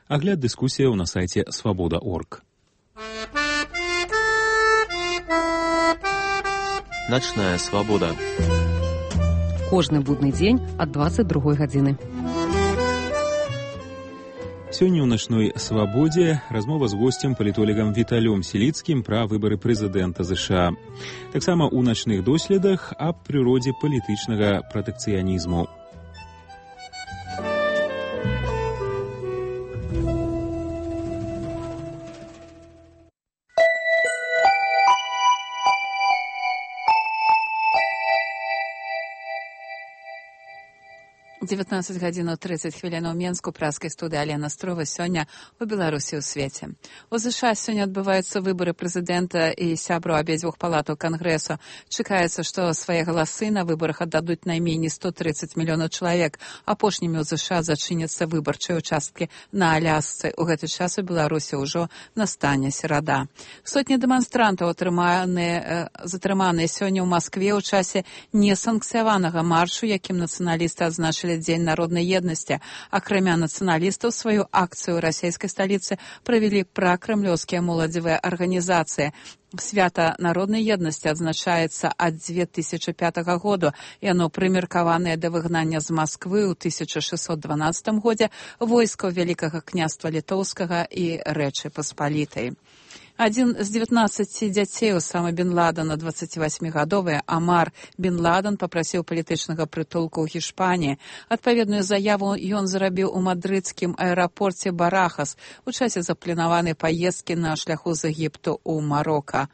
Агляд дыскусіяў на сайце свабода точка орг. Начная свабода. Кожны будны дзень ад дваццаць другой гадзіны. Сёння ў начной свабодзе размова з госцем палітолагам Віталём Селіцкім пра выбары прэзідэнта ЗША. Таксама ў начных доследах аб прыродзе палітычнага пратэкцыянізму. дзевятнаццаць гадзінаў трыццаць хвілін у Менску, праскай студыі Алена Строва. Сёння у Беларусі ў свеце. У ЗША сёння адбываюцца выбары прэзідэнта і сябраў абедзвюх палатаў Кангрэсу. Чакаецца, што свае галасы на выбарах аддадуць найменей сто трыццаць мільёнаў чалавек. Апошнімі ў ЗША зачыняцца выбарчыя участкі на Алясцы. У гэты час у Беларусі ўжо настане серада. Сотні дэманстрантаў атрыманыя, затрыманыя сёння ў Маскве ў часе несанкцыяванага маршу, якім нацыяналісты адзначылі Дзень народнай еднасці. Акрамя нацыяналістаў, сваю акцыю ў расійскай сталіцы правялі пракрамлёўскія моладзевыя арганізацыі. Свята народнай еднасці адзначаецца ад дзве тысячы пятага году. Яно прымеркаванае да выгнання з Масквы ў тысяча шэсцьсот дванаццатым годзе войскаў Вялікага княства Літоўскага і Рэчы Паспалітай. Адзін з дзевятнаццаці дзяцей Усама бен Ладена, дваццацівасьмігадовы Амар бен Ладен, папрасіў палітычнага прытулку ў Гішпаніі. Адпаведную заяву ён зрабіў у мадрыдскім аэрапорце Барахас у часе запланаванай паездкі на шляху з Егіпту ў Марока.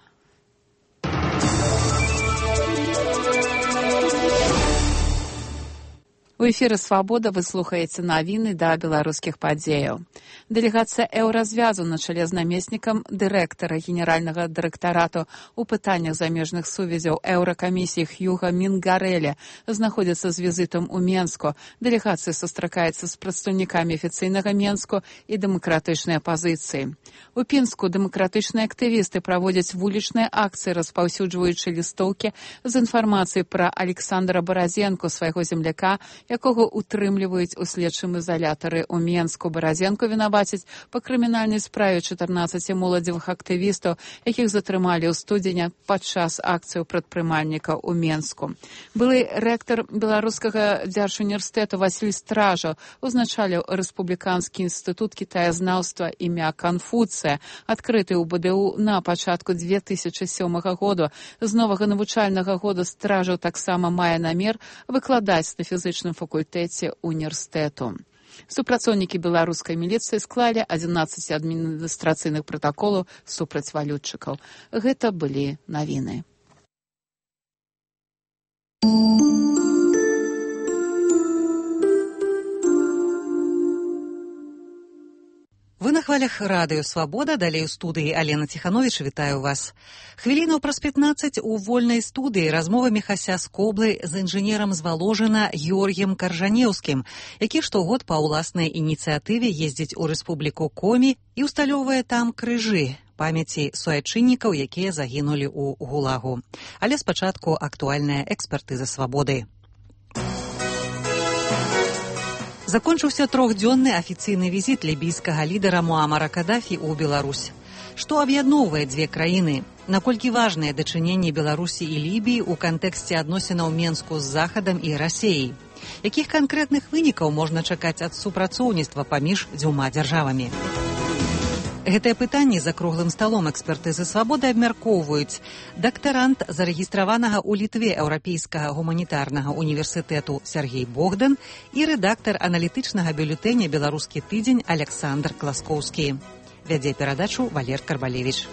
У эфіры «Свабода» вы слухаеце навіны да беларускіх падзеяў. Дэлегацыя Еўразвязу на чале з намеснікам дырэктара генеральнага дырэктарату ў пытаннях замежных сувязяў Еўракамісіі Хьюга Мінгарэля знаходзіцца з візітам у Менску. Дэлегацыя сустракаецца з прадстаўнікамі афіцыйнага Менску і дэмакратычнай апазіцыі. У Пінску дэмакратычныя актывісты праводзяць вулічныя акцыі, распаўсюджваючы лістоўкі з інфармацыяй пра Александра Баразенку, свайго земляка, якога утрымліваюць у следчым ізалятары ў Менску. Баразенку вінавацяць па крымінальнай справе чатырнаццаці моладзевых актывістаў, якіх затрымалі ў студзеня падчас акцыяў прадпрымальніка ў Менску. Былы рэктар Беларускага дзяржуніверсітэту Васіль Стражаў узначаліў рэспубліканскі інстытут кітаязнаўства імя Канфуцыя, адкрыты ў БДУ на пачатку дзве тысячы сёмага году. З новага навучальнага года Стражаў таксама мае намер выкладаць на фізычным факультэце універсітэту. Супрацоўнікі беларускай міліцыі склалі адзінаццаць адміністрацыйных пратаколаў супраць валютчыкаў. Гэта былі навіны. Вы на хвалях радыё «Свабода», далей у студыі Алена Ціхановіч, вітаю вас. Хвілінаў праз пятнаццаць у вольнай студыі размова Міхася Скоблы з інжынерам з Валожына Георгіем Каржанеўскім, які штогод па ўласнай ініцыятыве ездзіць у рэспубліку Комі і ўсталёўвае там крыжы памяці суайчыннікаў, якія загінулі ў ГУЛАГу. Але спачатку актуальная экспертыза «Свабоды». Закончыўся трохдзённы афіцыйны візіт лібійскага лідара Муамара Каддафі ў Беларусь. Што аб'ядноўвае дзве краіны? Наколькі важныя дачыненні Беларусі і Лібіі ў кантэксце адносінаў Менску з Захадам і Расіяй? Якіх канкрэтных вынікаў можна чакаць ад супрацоўніцтва паміж дзвюма дзяржавамі? Гэтае пытанне за круглым сталом экспертызы свабоды абмяркоўваюць дактарант зарэгістраванага ў Літве Еўрапейскага гуманітарнага універсітэту Сергей Богдан і рэдактар аналітычнага бюлетэня «Беларускі тыдзень» Александр Класкоўскі. Вядзе перадачу Валер Карбалевіч.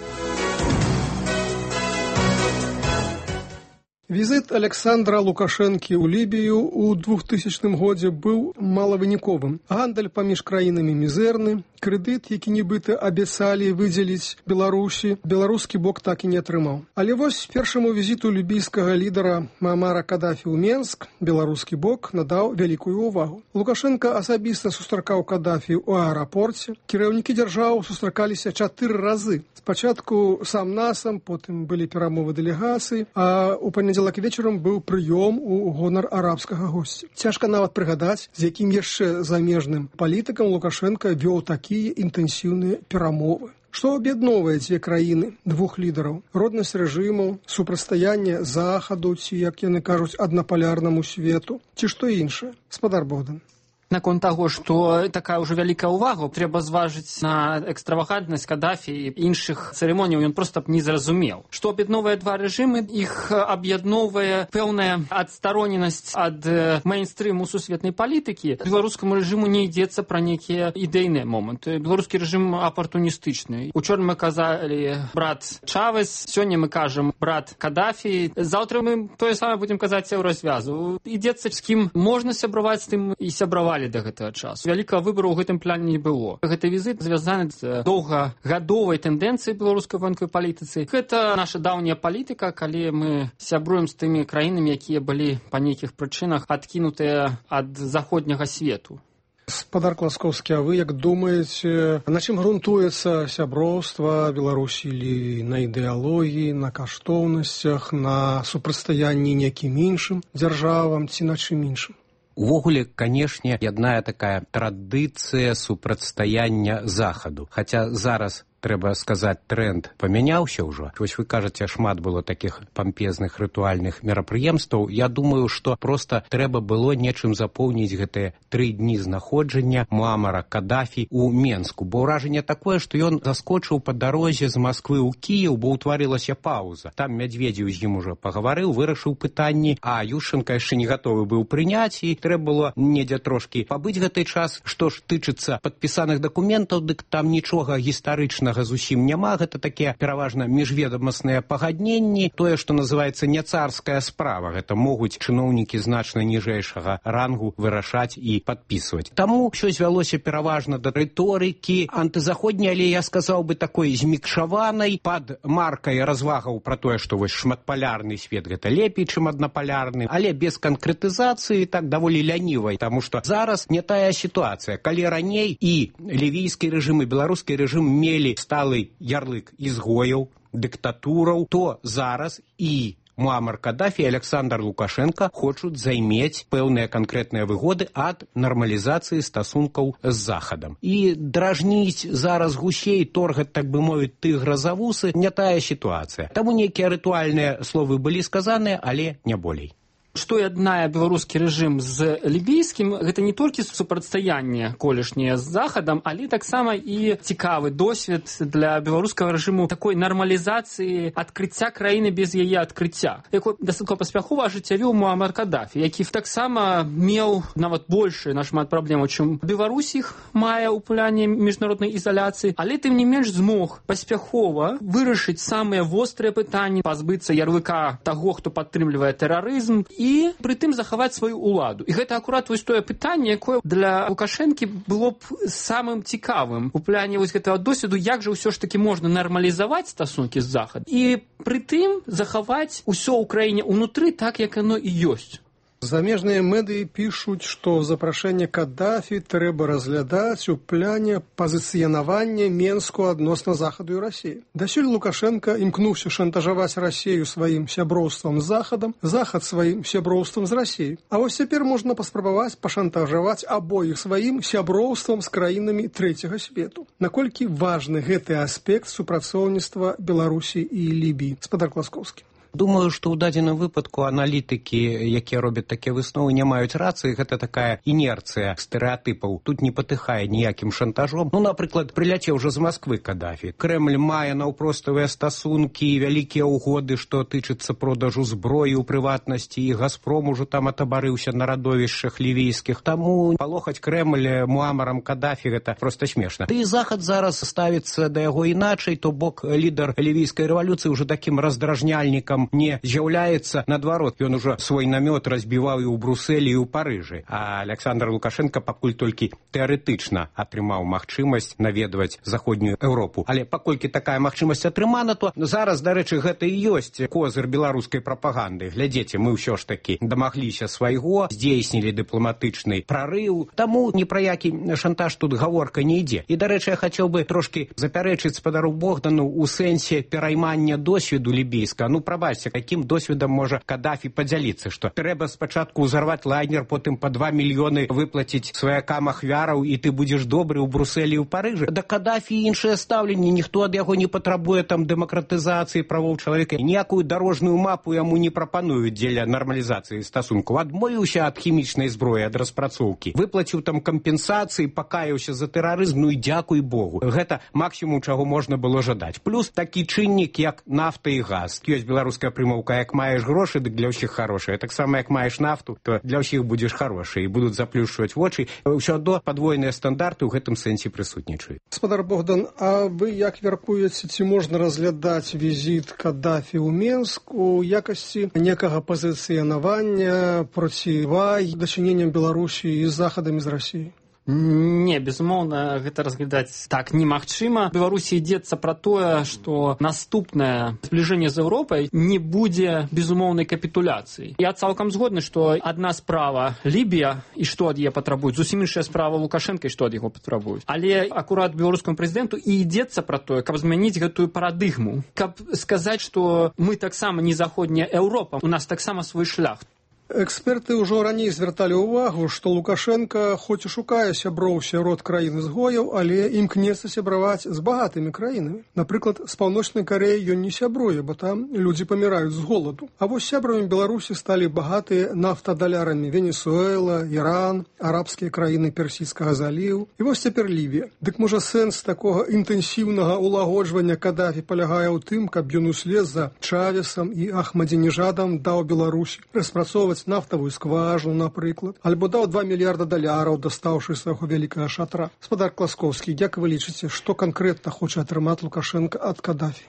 Візіт Александра Лукашэнкі ў Лібію ў двухтысячным годзе быў малавыніковым. Гандаль паміж краінамі мізэрны, крэдыт, які нібыта абяцалі выдзеліць Беларусі, беларускі бок так і не атрымаў. Але вось першаму візіту лібійскага лідара Муаммара Кадафі ў Менск беларускі бок надаў вялікую ўвагу. Лукашенко асабіста сустракаў Кадафі ў аэрапорце. Кіраўнікі дзяржаў сустракаліся чатыры разы. Спачатку сам-насам, потым былі перамовы дэлегацыі, а ў панядзелак вечарам быў прыём у гонар арабскага госця. Цяжка нават прыгадаць, з якім яшчэ замежным палітыкам Лукашенко вёў такія інтэнсіўныя перамовы. Што аб'ядноўвае дзве краіны, двух лідараў? Роднасць рэжымаў, супрацьстаянне захаду ці, як яны кажуць, аднапалярнаму свету, ці што іншае? Спадар Богдан. Наконт таго, што такая ўжо вялікая ўвага, трэба зважыць на экстравагантнасць Кадафі і іншых цырымоніяў, ён проста б не зразумеў. Што аб'ядноўвае два рэжымы, іх аб'ядноўвае пэўная адстароненасць ад мейнстрыму сусветнай палітыкі. Беларускаму рэжыму не ідзецца пра нейкія ідэйныя моманты. Беларускі рэжым апартуністычны. Учора мы казалі брат Чавес, сёння мы кажам брат Кадафі. Заўтра мы тое самае будзем казаць у развязу. Ідзецца з кім можна сябраваць, з тым і сябраваць да гэтага часу. Вялікага выбару ў гэтым плане не было. Гэты візіт звязаны з доўгагадовай тэндэнцыяй беларускай военнай палітыцы. Гэта наша даўняя палітыка, калі мы сябруем з тымі краінамі, якія былі па нейкіх прычынах адкінутыя ад заходняга свету. Спадар Класкоўскі, а вы як думаеце, на чым грунтуецца сяброўства Беларусі, или на ідэалогіі, на каштоўнасцях, на супрацьстаянні нейкім іншым дзяржавам ці на чым іншым? Увогуле, канешне, ядная такая традыцыя супрацьстаяння захаду. Хаця зараз трэба сказаць, тренд памяняўся ўжо. Вось вы кажаце, шмат было такіх пампезных рытуальных мерапрыемстваў. Я думаю, што проста трэба было нечым запоўніць гэтыя тры дні знаходжання Муаммара Кадафі ў Менску. Бо ўражанне такое, што ён заскочыў па дарозе з Масквы ў Кіеў, бо ўтварылася паўза. Там Мядзведзеў з ім ужо пагаварыў, вырашыў пытанні, а Ющенка яшчэ не гатовы быў прыняць, і трэба было недзе трошкі пабыць гэты час. Што ж тычыцца падпісаных дакументаў, дык там нічога гістарычнага зусім няма, гэта такія пераважна міжведамасныя пагадненні, тое, што называецца не царская справа, гэта могуць чыноўнікі значна ніжэйшага рангу вырашаць і падпісваць. Таму ўсё звялося пераважна да рыторыкі антызаходняй, але я сказаў бы такой змікшаванай, пад маркай развагаў пра тое, што вось шматпалярны свет гэта лепей, чым аднапалярны, але без канкрэтызацыі, так даволі лянівай, таму што зараз не тая сітуацыя. Калі раней і лівійскі рэжым, і беларускі рэжым мелі сталы ярлык ізгояў, дыктатураў, то зараз і Муаммар Кадафі і Александр Лукашенко хочуць займець пэўныя канкрэтныя выгоды ад нармалізацыі стасункаў з Захадам. І дражніць зараз гусей, торгаць, так бы мовіць, тыгра за вусы, не тая сітуацыя. Таму нейкія рытуальныя словы былі сказаныя, але не болей. Што яднае беларускі рэжым з лібійскім, гэта не толькі супрацьстаянне колішняе з Захадам, але таксама і цікавы досвед для беларускага рэжыму такой нармалізацыі адкрыцця краіны без яе адкрыцця, якой дастаткова паспяхова ажыццявіў Муаммар Кадафі, які таксама меў нават большы нашмат праблемаў, чым Беларусь іх мае ў плане міжнароднай ізаляцыі, але тым не менш змог паспяхова вырашыць самыя вострыя пытанні, пазбыцца ярлыка таго, хто падтрымлівае тэрарызм, і прытым захаваць сваю ўладу. І гэта акурат вось тое пытанне, якое для Лукашэнкі было б самым цікавым у пляне вось гэтага досведу, як жа ўсё ж такі можна нармалізаваць стасункі з Захадам і прытым захаваць усё ў краіне ўнутры так, як яно і ёсць. Замежныя медыі пішуць, што запрашэнне Кадафі трэба разглядаць у пляне пазіцыянавання Менску адносна Захаду і Расіі. Дасюль Лукашенко імкнуўся шантажаваць Расію сваім сяброўствам з Захадам, Захад сваім сяброўствам з Расіяй. А вось цяпер можна паспрабаваць пашантажаваць абоіх сваім сяброўствам з краінамі трэцяга свету. Наколькі важны гэты аспект супрацоўніцтва Беларусі і Лібіі? Спадар Класкоўскі. Думаю, што ў дадзеным выпадку аналітыкі, якія робяць такія высновы, не маюць рацыі. Гэта такая інерцыя стэрэатыпаў. Тут не патыхае ніякім шантажом. Ну, напрыклад, прыляцеў уже з Масквы Кадафі. Крэмль мае наўпроставыя стасункі, вялікія ўгоды, што тычыцца продажу зброі ў прыватнасці, і Газпром ужо там атабарыўся на радовішчах лівійскіх. Таму палохаць Крэмль Муамарам Кадафі гэта проста смешна. Ды і Захад зараз ставіцца да яго іначай, то бок лідар лівійскай рэвалюцыі ўжо такім раздражняльнікам не з'яўляецца. Наадварот, ён ужо свой намёт разбіваў і ў Брусэлі, і ў Парыжы. А Александр Лукашенко пакуль толькі тэарэтычна атрымаў магчымасць наведваць заходнюю Еўропу. Але паколькі такая магчымасць атрымана, то зараз, дарэчы, гэта і ёсць козыр беларускай прапаганды. Глядзіце, мы ўсё ж такі дамагліся свайго, здзейснілі дыпламатычны прарыў. Таму ні пра які шантаж тут гаворка не ідзе. І, дарэчы, я хацеў бы трошкі запярэчыць спадару Богдану ў сэнсе пераймання досведу лібійска. Ну, прабачце, якім досведам можа Кадафі падзяліцца, што трэба спачатку ўзарваць лайнер, потым па два мільёны выплаціць сваякам ахвяраў, і ты будзеш добры ў Брусэлі і ў Парыжы. Да Кадафі іншае стаўленне, ніхто ад яго не патрабуе там дэмакратызацыі правоў чалавека. Ніякую дарожную мапу яму не прапануюць дзеля нармалізацыі стасункаў. Адмовіўся ад хімічнай зброі, ад распрацоўкі. Выплаціў там кампенсацыі, пакаяўся за тэрарызм, ну і дзякуй Богу. Гэта максімум, чаго можна было жадаць. Плюс такі чыннік, як нафта і газ. Ёсць беларуская прымаўка, як маеш грошы, дык для ўсіх харошыя. Так само, як маеш нафту, то для ўсіх будзеш харошы, і будуць заплюшчваць вочы. Ўсё адно падвойныя стандарты ў гэтым сэнсе прысутнічаюць. Гаспадар Богдан, а вы як мяркуеце, ці можна разглядаць візіт Кадафі ў Менск у якасці некага пазіцыянавання процівай дачыненням Беларусі і захадамі з Расіі? Не, безумоўна, гэта разглядаць так немагчыма. Беларусі ідзецца пра тое, што наступнае збліжэнне з Еўропай не будзе безумоўнай капітуляцыі. Я цалкам згодны, што адна справа Лібія, і што ад яе патрабуюць, зусім іншая справа Лукашенка, і што ад яго патрабуюць. Але акурат беларускаму прэзідэнту і ідзецца пра тое, каб змяніць гэтую парадыгму, каб сказаць, што мы таксама не заходняя Еўропа, у нас таксама свой шлях. Эксперты ўжо раней звярталі ўвагу, што Лукашенко хоць і шукае сяброў сярод краін ізгояў, але імкнецца сябраваць з багатымі краінамі. Напрыклад, з Паўночнай Карэі ён не сябруе, бо там людзі паміраюць з голаду. А вось сябрамі Беларусі сталі багатыя нафтадалярамі Венесуэла, Іран, арабскія краіны Персійскага заліву. І вось цяпер Лівія. Дык можа сэнс такога інтэнсіўнага ўлагоджвання Кадафі палягае ў тым, каб ён услед за Чавесам і Ахмадзінежадам даў Беларусі распрацоўваць нафтавую скважину, напрыклад, альбо даў два мільярда даляраў, дастаўшы свайго вялікага шатра. Гаспадар Класкоўскі, як вы лічыце, што канкрэтна хоча атрымаць Лукашенко ад Кадафі?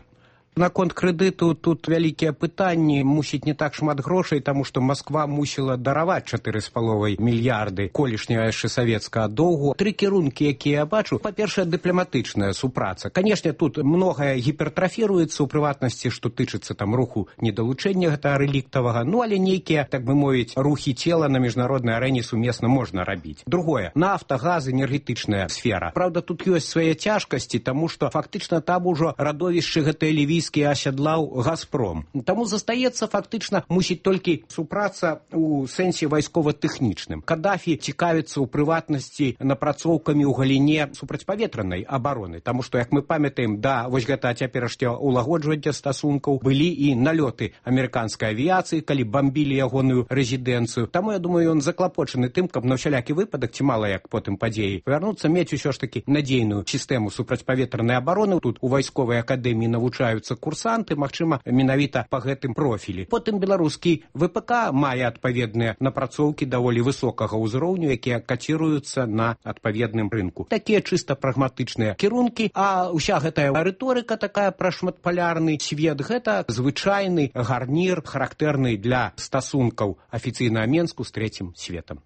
Наконт крэдыту тут вялікія пытанні, мусіць не так шмат грошай, таму што Масква мусіла дараваць чатыры з паловай мільярды колішняга яшчэ савецкага доўгу. Тры кірункі, якія я бачу. Па-першае, дыпламатычная супраца. Канешне, тут многае гіпертрафіруецца, у прыватнасці, што тычыцца там руху недалучэння гэтага рэліктавага, ну але нейкія, так бы мовіць, рухі цела на міжнароднай арэне сумесна можна рабіць. Другое, нафта, газ, энергетычная сфера. Праўда, тут ёсць свае цяжкасці, таму што фактычна там ужо радовішчы гэтыя лівійскія асядлаў Газпром. Таму застаецца фактычна мусіць толькі супраца ў сэнсе вайскова-тэхнічным. Кадафі цікавіцца ў прыватнасці напрацоўкамі ў галіне супрацьпаветранай абароны, таму што, як мы памятаем, да вось гэта цяперашняга ўлагоджвання стасункаў былі і налёты амерыканскай авіяцыі, калі бамбілі ягоную рэзідэнцыю. Таму, я думаю, ён заклапочаны тым, каб на ўсялякі выпадак, ці мала як потым падзеі павярнуцца, мець усё ж такі надзейную сістэму супрацьпаветранай абароны. Тут у вайсковай акадэміі навучаюцца курсанты, магчыма, менавіта па гэтым профілі. Потым беларускі ВПК мае адпаведныя напрацоўкі даволі высокага ўзроўню, якія каціруюцца на адпаведным рынку. Такія чыста прагматычныя кірункі, а ўся гэтая рыторыка такая пра шматпалярны свет, гэта звычайны гарнір, характэрны для стасункаў афіцыйнага Менску з трэцім светам.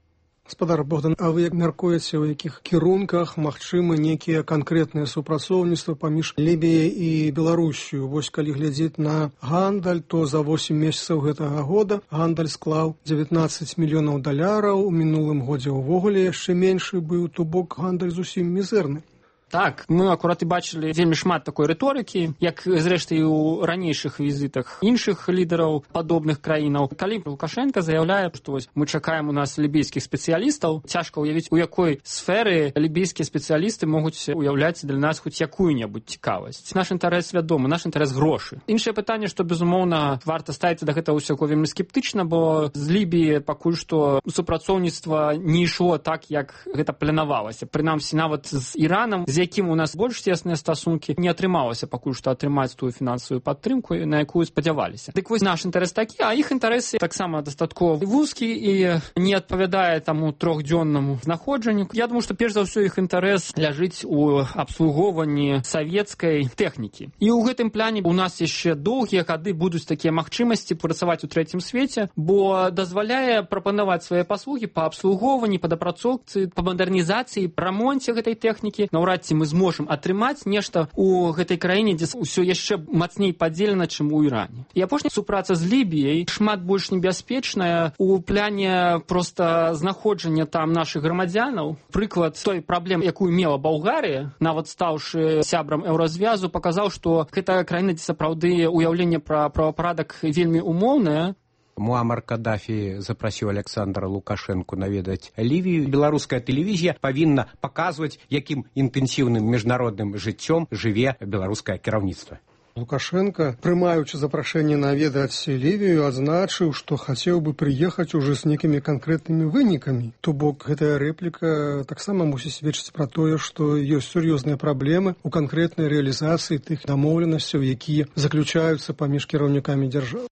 Гаспадар Богдан, а вы як мяркуеце, у якіх кірунках магчымы нейкія канкрэтныя супрацоўніцтва паміж Лібіяй і Беларусію? Вось калі глядзець на гандаль, то за восем месяцаў гэтага года гандаль склаў дзевятнаццаць мільёнаў даляраў, у мінулым годзе ўвогуле яшчэ меншы быў, то бок гандаль зусім мізэрны. Так, мы акурат і бачылі вельмі шмат такой рыторыкі, як зрэшты і ў ранейшых візітах іншых лідараў падобных краінаў. Калі Лукашенко заяўляе, што вось мы чакаем у нас лібійскіх спецыялістаў, цяжка ўявіць, у якой сферы лібійскія спецыялісты могуць уяўляць для нас хоць якую-небудзь цікавасць. Наш інтарэс вядомы, наш інтарэс грошы. Іншае пытанне, што безумоўна варта ставіцца да гэтага ўсяго вельмі скептычна, бо з Лібіі пакуль што супрацоўніцтва не ішло так, як гэта планавалася. Прынамсі нават з Іранам, з якім у нас больш цесныя стасункі, не атрымалася пакуль што атрымаць тую фінансавую падтрымку, на якую спадзяваліся. Дык вось наш інтарэс такі, а іх інтарэсы таксама дастаткова вузкі і не адпавядае таму трохдзённаму знаходжанню. Я думаю, што перш за ўсё іх інтарэс ляжыць у абслугоўванні савецкай тэхнікі. І ў гэтым плане у нас яшчэ доўгія гады будуць такія магчымасці працаваць у трэцім свеце, бо дазваляе прапанаваць свае паслугі па абслугоўванні, па дапрацоўцы, па мадэрнізацыі, рамонце гэтай тэхнікі. Наўрад ці мы зможам атрымаць нешта ў гэтай краіне, дзе ўсё яшчэ мацней падзелена, чым у Іране. І апошняя супраца з Лібіяй шмат больш небяспечная у пляне проста знаходжання там нашых грамадзянаў. Прыклад той праблемы, якую мела Балгарыя, нават стаўшы сябрам еўразвязу, паказаў, што гэта краіна, дзе сапраўды уяўленне пра правапарадак вельмі умоўнае. Муамар Каддафі запрасіў Александра Лукашенку наведаць Лівію. Беларуская тэлевізія павінна паказваць, якім інтэнсіўным міжнародным жыццём жыве беларускае кіраўніцтва. Лукашенко, прымаючы запрашэнне наведаць Лівію, адзначыў, што хацеў бы прыехаць уже з некімі канкрэтнымі вынікамі. То бок гэтая рэпліка таксама мусіць сведчыць пра тое, што ёсць сур'ёзныя праблемы ў канкрэтнай рэалізацыі тых дамоўленасцяў, якія заключаюцца паміж кіраўнікамі дзяржавы.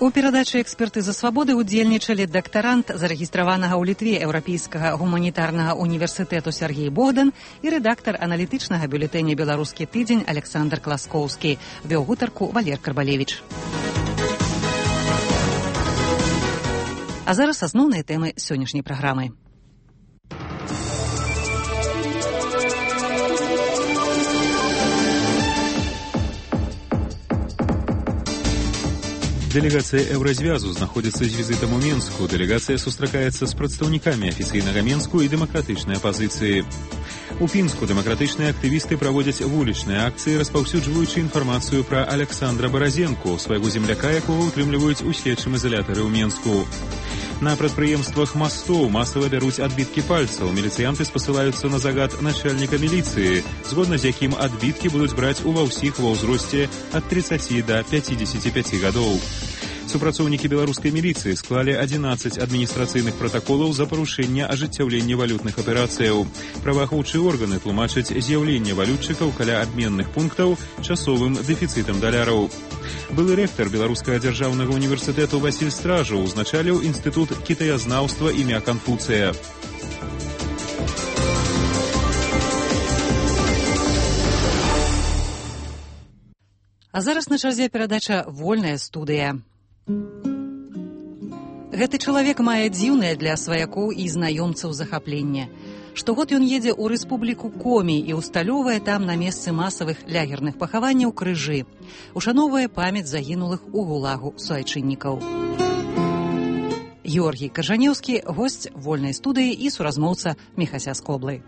У перадачы «Экспертыза свабоды» удзельнічалі дактарант, зарэгістраванага ў Літве Еўрапейскага гуманітарнага універсітэту Сергей Богдан і рэдактар аналітычнага бюлетэня «Беларускі тыдзень» Александр Класкоўскі. Вёў гутарку Валер Карбалевіч. А зараз асноўныя тэмы сённяшняй праграмы. Делегация Еўразвязу знаходзіцца з візітам у Менску. Делегацыя сустракаецца з прадстаўнікамі афіцыйнага Менску і дэмакратычнай апазіцыі. У Пінску дэмакратычныя актывісты праводзяць вулічныя акцыі, распаўсюджваючы інфармацыю пра Александра Баразенку, свайго земляка, якога ўтрымліваюць у следчым изолятары ў Менску. На прадпрыемствах мастоў масава бяруць адбіткі пальцаў. Міліцыянты спасылаюцца на загад начальніка міліцыі, згодна з якім адбіткі будуць браць ува ўсіх ва ўзросце ад тридцаці да пяцідзесяці пяці гадоў. Супрацоўнікі беларускай міліцыі склалі адзінаццаць адміністрацыйных пратаколаў за парушэнне ажыццяўлення валютных аперацыяў. Праваахоўчыя органы тлумачаць з'яўленне валютчыкаў каля абменных пунктаў часовым дэфіцытам даляраў. Былы рэктар Беларускага дзяржаўнага універсітэту Васіль Стражаў узначаліў інстытут кітаязнаўства імя Канфуцыя. А зараз на чарзе перадача «Вольная студыя». Гэты чалавек мае дзіўнае для сваякоў і знаёмцаў захапленне. Штогод ён едзе ў рэспубліку Комі і усталёўвае там на месцы масавых лягерных пахаванняў крыжы. Ушаноўвае памяць загінулых у гулагу суайчыннікаў. Георгій Каржанеўскі, госць «Вольнай студыі» і суразмоўца Міхася Скоблы.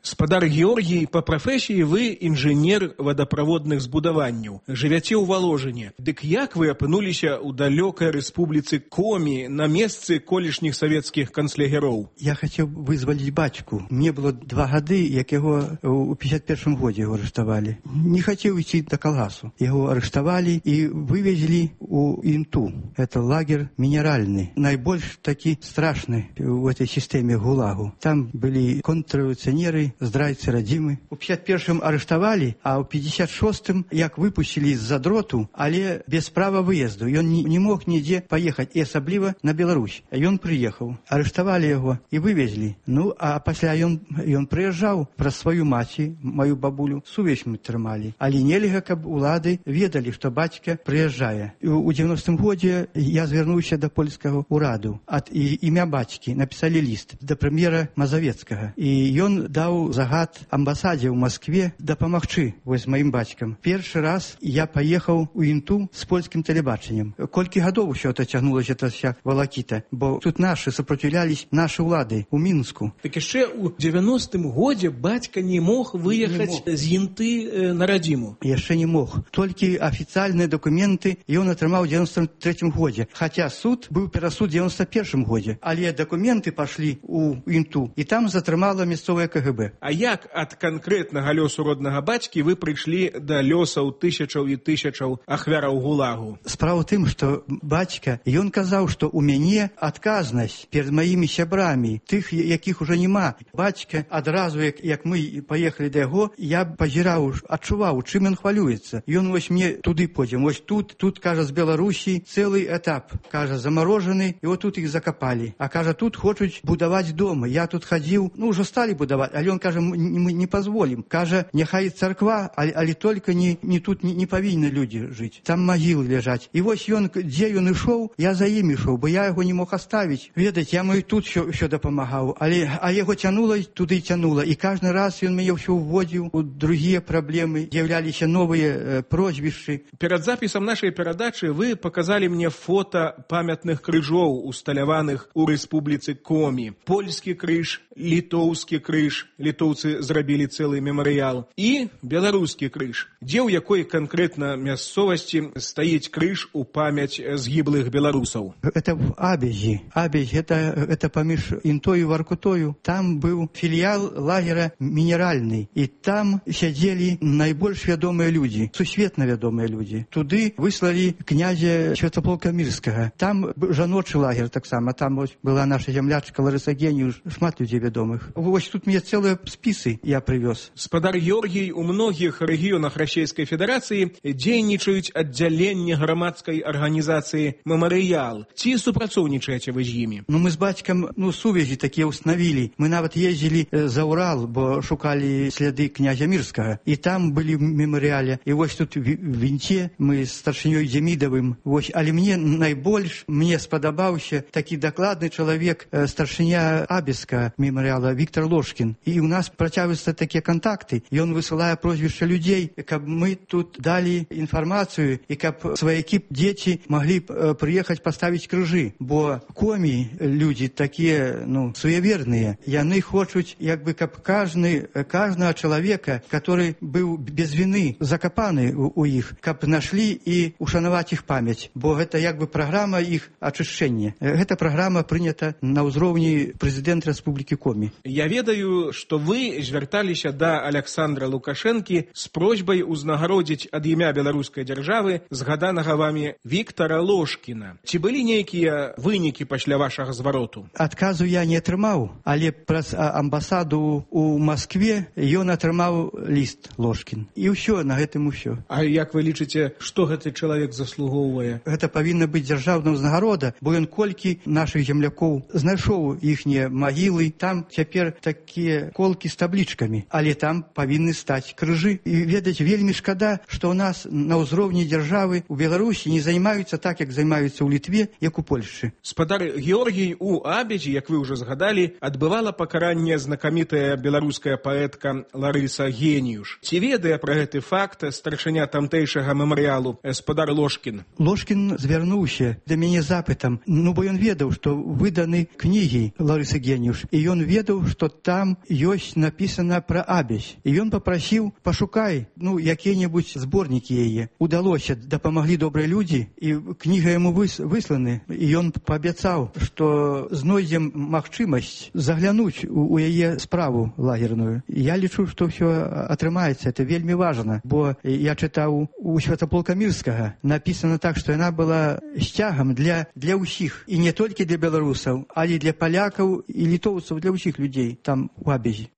Спадар Георгій, па прафесіі вы інжынер вадаправодных збудаванняў. Жывяце ў Валожыне. Дык як вы апынуліся ў далёкай рэспубліцы Комі на месцы колішніх савецкіх канцлягероў? Я хацеў вызваліць бацьку. Мне было два гады, як яго ў пятьдесят первым годзе яго арыштавалі. Не хацеў ісці да калгасу. Яго арыштавалі і вывезлі ў Інту. Это лагер мінеральны. Найбольш такі страшны ў этой сістэме гулагу. Там былі контррэвалюцыянеры, здрайцы радзімы. У пятьдесят первым арыштавалі, а ў пятьдесят шостым як выпусцілі з-за дроту, але без права выезду. Ён не, не мог нідзе паехаць, і асабліва на Беларусь. Ён прыехаў, арыштавалі яго і вывезлі. Ну, а пасля ён, ён прыязджаў праз сваю маці, маю бабулю, сувязь мы трымалі. Але нельга, каб улады ведалі, што бацька прыязджае. У девяностым годзе я звярнуўся да польскага ўраду. Ад і, імя бацькі напісалі ліст да прэм'ера Мазавецкага. І ён даў даў загад амбасадзе ў Маскве дапамагчы вось маім бацькам. Першы раз я паехаў у Інту з польскім тэлебачаннем. Колькі гадоў усё это цягнулася эта вся валакіта, бо тут нашы сопротивлялись нашы ўлады ў Мінску. Так яшчэ ў дзевяностым годзе бацька не мог выехаць з Інты э, на радзіму. Яшчэ не мог. Толькі афіцыяльныя дакументы ён атрымаў у дзевяностым трэцім годзе. Хаця суд быў перасуд у дзевяносто першым годзе. Але дакументы пашлі ў Інту, і там затрымала мясцовае ка гэ бэ. А як ад канкрэтнага лёсу роднага бацькі вы прыйшлі да лёсаў тысячаў і тысячаў ахвяраў гулагу? Справа ў тым, што бацька, ён казаў, што ў мяне адказнасць перад маімі сябрамі, тых, якіх ужо няма. Бацька адразу, як, як мы паехалі да яго, я пазіраў, адчуваў, чым ён хвалюецца. Ён вось мне туды пойдзем, вось тут, тут, кажа, з Беларусі цэлы этап, кажа, замарожаны, і вот тут іх закапалі. А кажа, тут хочуць будаваць дома. Я тут хадзіў, ну, ўжо сталі будаваць, але ён кажа, мы не пазволім. Кажа, няхай царква, але, але толькі не, не тут не, не павінны людзі жыць. Там магілы ляжаць. І вось ён, дзе ён ішоў, я за ім ішоў, бо я яго не мог аставіць. Ведаць, я мой тут ўсё, ўсё дапамагаў, але а яго цянула, туды цянула. І кожны раз ён мяне ўсё ўводзіў у другія праблемы, з'яўляліся новыя э, прозвішчы. Перад запісам нашай перадачы вы паказалі мне фота памятных крыжоў, усталяваных у рэспубліцы Комі. Польскі крыж, літоўскі крыж, літоўцы зрабілі цэлы мемарыял, і беларускі крыж, дзе ў якой канкрэтна мясцовасці стаіць крыж у памяць згіблых беларусаў. Это в Абязі. Абязь, это, это паміж Інтою і Варкутою. Там быў філіял лагера мінеральны, і там сядзелі найбольш вядомыя людзі, сусветна вядомыя людзі. Туды выслалі князя Святаполка Мірскага. Там жаночы лагер таксама, там вось была наша зямлячка Ларыса Геніюш, шмат людзей вядомых. Вось тут мне цэлыя спісы я прывёз. Спадар Георгій, у многіх рэгіёнах Расійскай Федэрацыі дзейнічаюць аддзяленні грамадскай арганізацыі «Мемарыял». Ці супрацоўнічаеце вы з імі? Ну, мы з бацькам, ну, сувязі такія ўстанавілі. Мы нават ездзілі за Урал, бо шукалі сляды князя Мірскага. І там былі в мемарыяле. І вось тут в Інте мы з старшынёй Демідавым. Вось, але мне найбольш, мне спадабаўся такі дакладны чалавек, старшыня Абязка мемарыяла Віктор Ложкін. І ў нас працягваюцца такія кантакты. Ён высылае прозвішча людзей, каб мы тут далі інфармацыю і каб сваякі дзеці маглі прыехаць паставіць крыжы. Бо Комі людзі такія, ну, суеверныя. Яны хочуць, як бы, каб кажны, кажнага чалавека, который быў без вины закапаны у, у іх, каб нашлі і ушанаваць іх памяць. Бо гэта як бы праграма іх ачышчэння. Гэта праграма прынята на ўзроўні прэзідэнта Рэспублікі Комі. Я ведаю, што вы звярталіся да Аляксандра Лукашэнкі з просьбай узнагародзіць ад імя беларускай дзяржавы згаданага вамі Віктара Ложкіна. Ці былі нейкія вынікі пасля вашага звароту? Адказу я не атрымаў, але праз амбасаду ў Маскве ён атрымаў ліст Ложкін. І ўсё, на гэтым усё. А як вы лічыце, што гэты чалавек заслугоўвае? Гэта павінна быць дзяржаўная ўзнагарода, бо ён колькі нашых землякоў знайшоў іхнія магілы, там цяпер такія колкі з таблічкамі, але там павінны стаць крыжы. І ведаць, вельмі шкада, што ў нас на ўзроўні дзяржавы у Беларусі не займаюцца так, як займаюцца ў Літве, як у Польшчы. Спадар Георгій, у Абязі, як вы ўжо згадалі, адбывала пакаранне знакамітая беларуская паэтка Ларыса Геніюш. Ці ведае пра гэты факт старшыня тамтэйшага мемарыялу спадар Ложкін? Ложкін звярнуўся да мяне запытам, ну бо ён ведаў, што выданы кнігі Ларысы Геніюш, і ён ведаў, што там ёсць напісана пра Абязь. І ён папрасіў, пашукай, ну, якія-небудзь зборнікі яе. Удалося, дапамаглі добрыя людзі, і кніга яму выс, высланы. І ён паабяцаў, што знойдзем магчымасць заглянуць у, у яе справу лагерную. Я лічу, што ўсё атрымаецца. Это вельмі важна, бо я чытаў у Святаполка Мірскага. Напісана так, што яна была сцягам для, для ўсіх. І не толькі для беларусаў, але для палякаў і літоўцаў, для ўсіх людзей там у Абязі.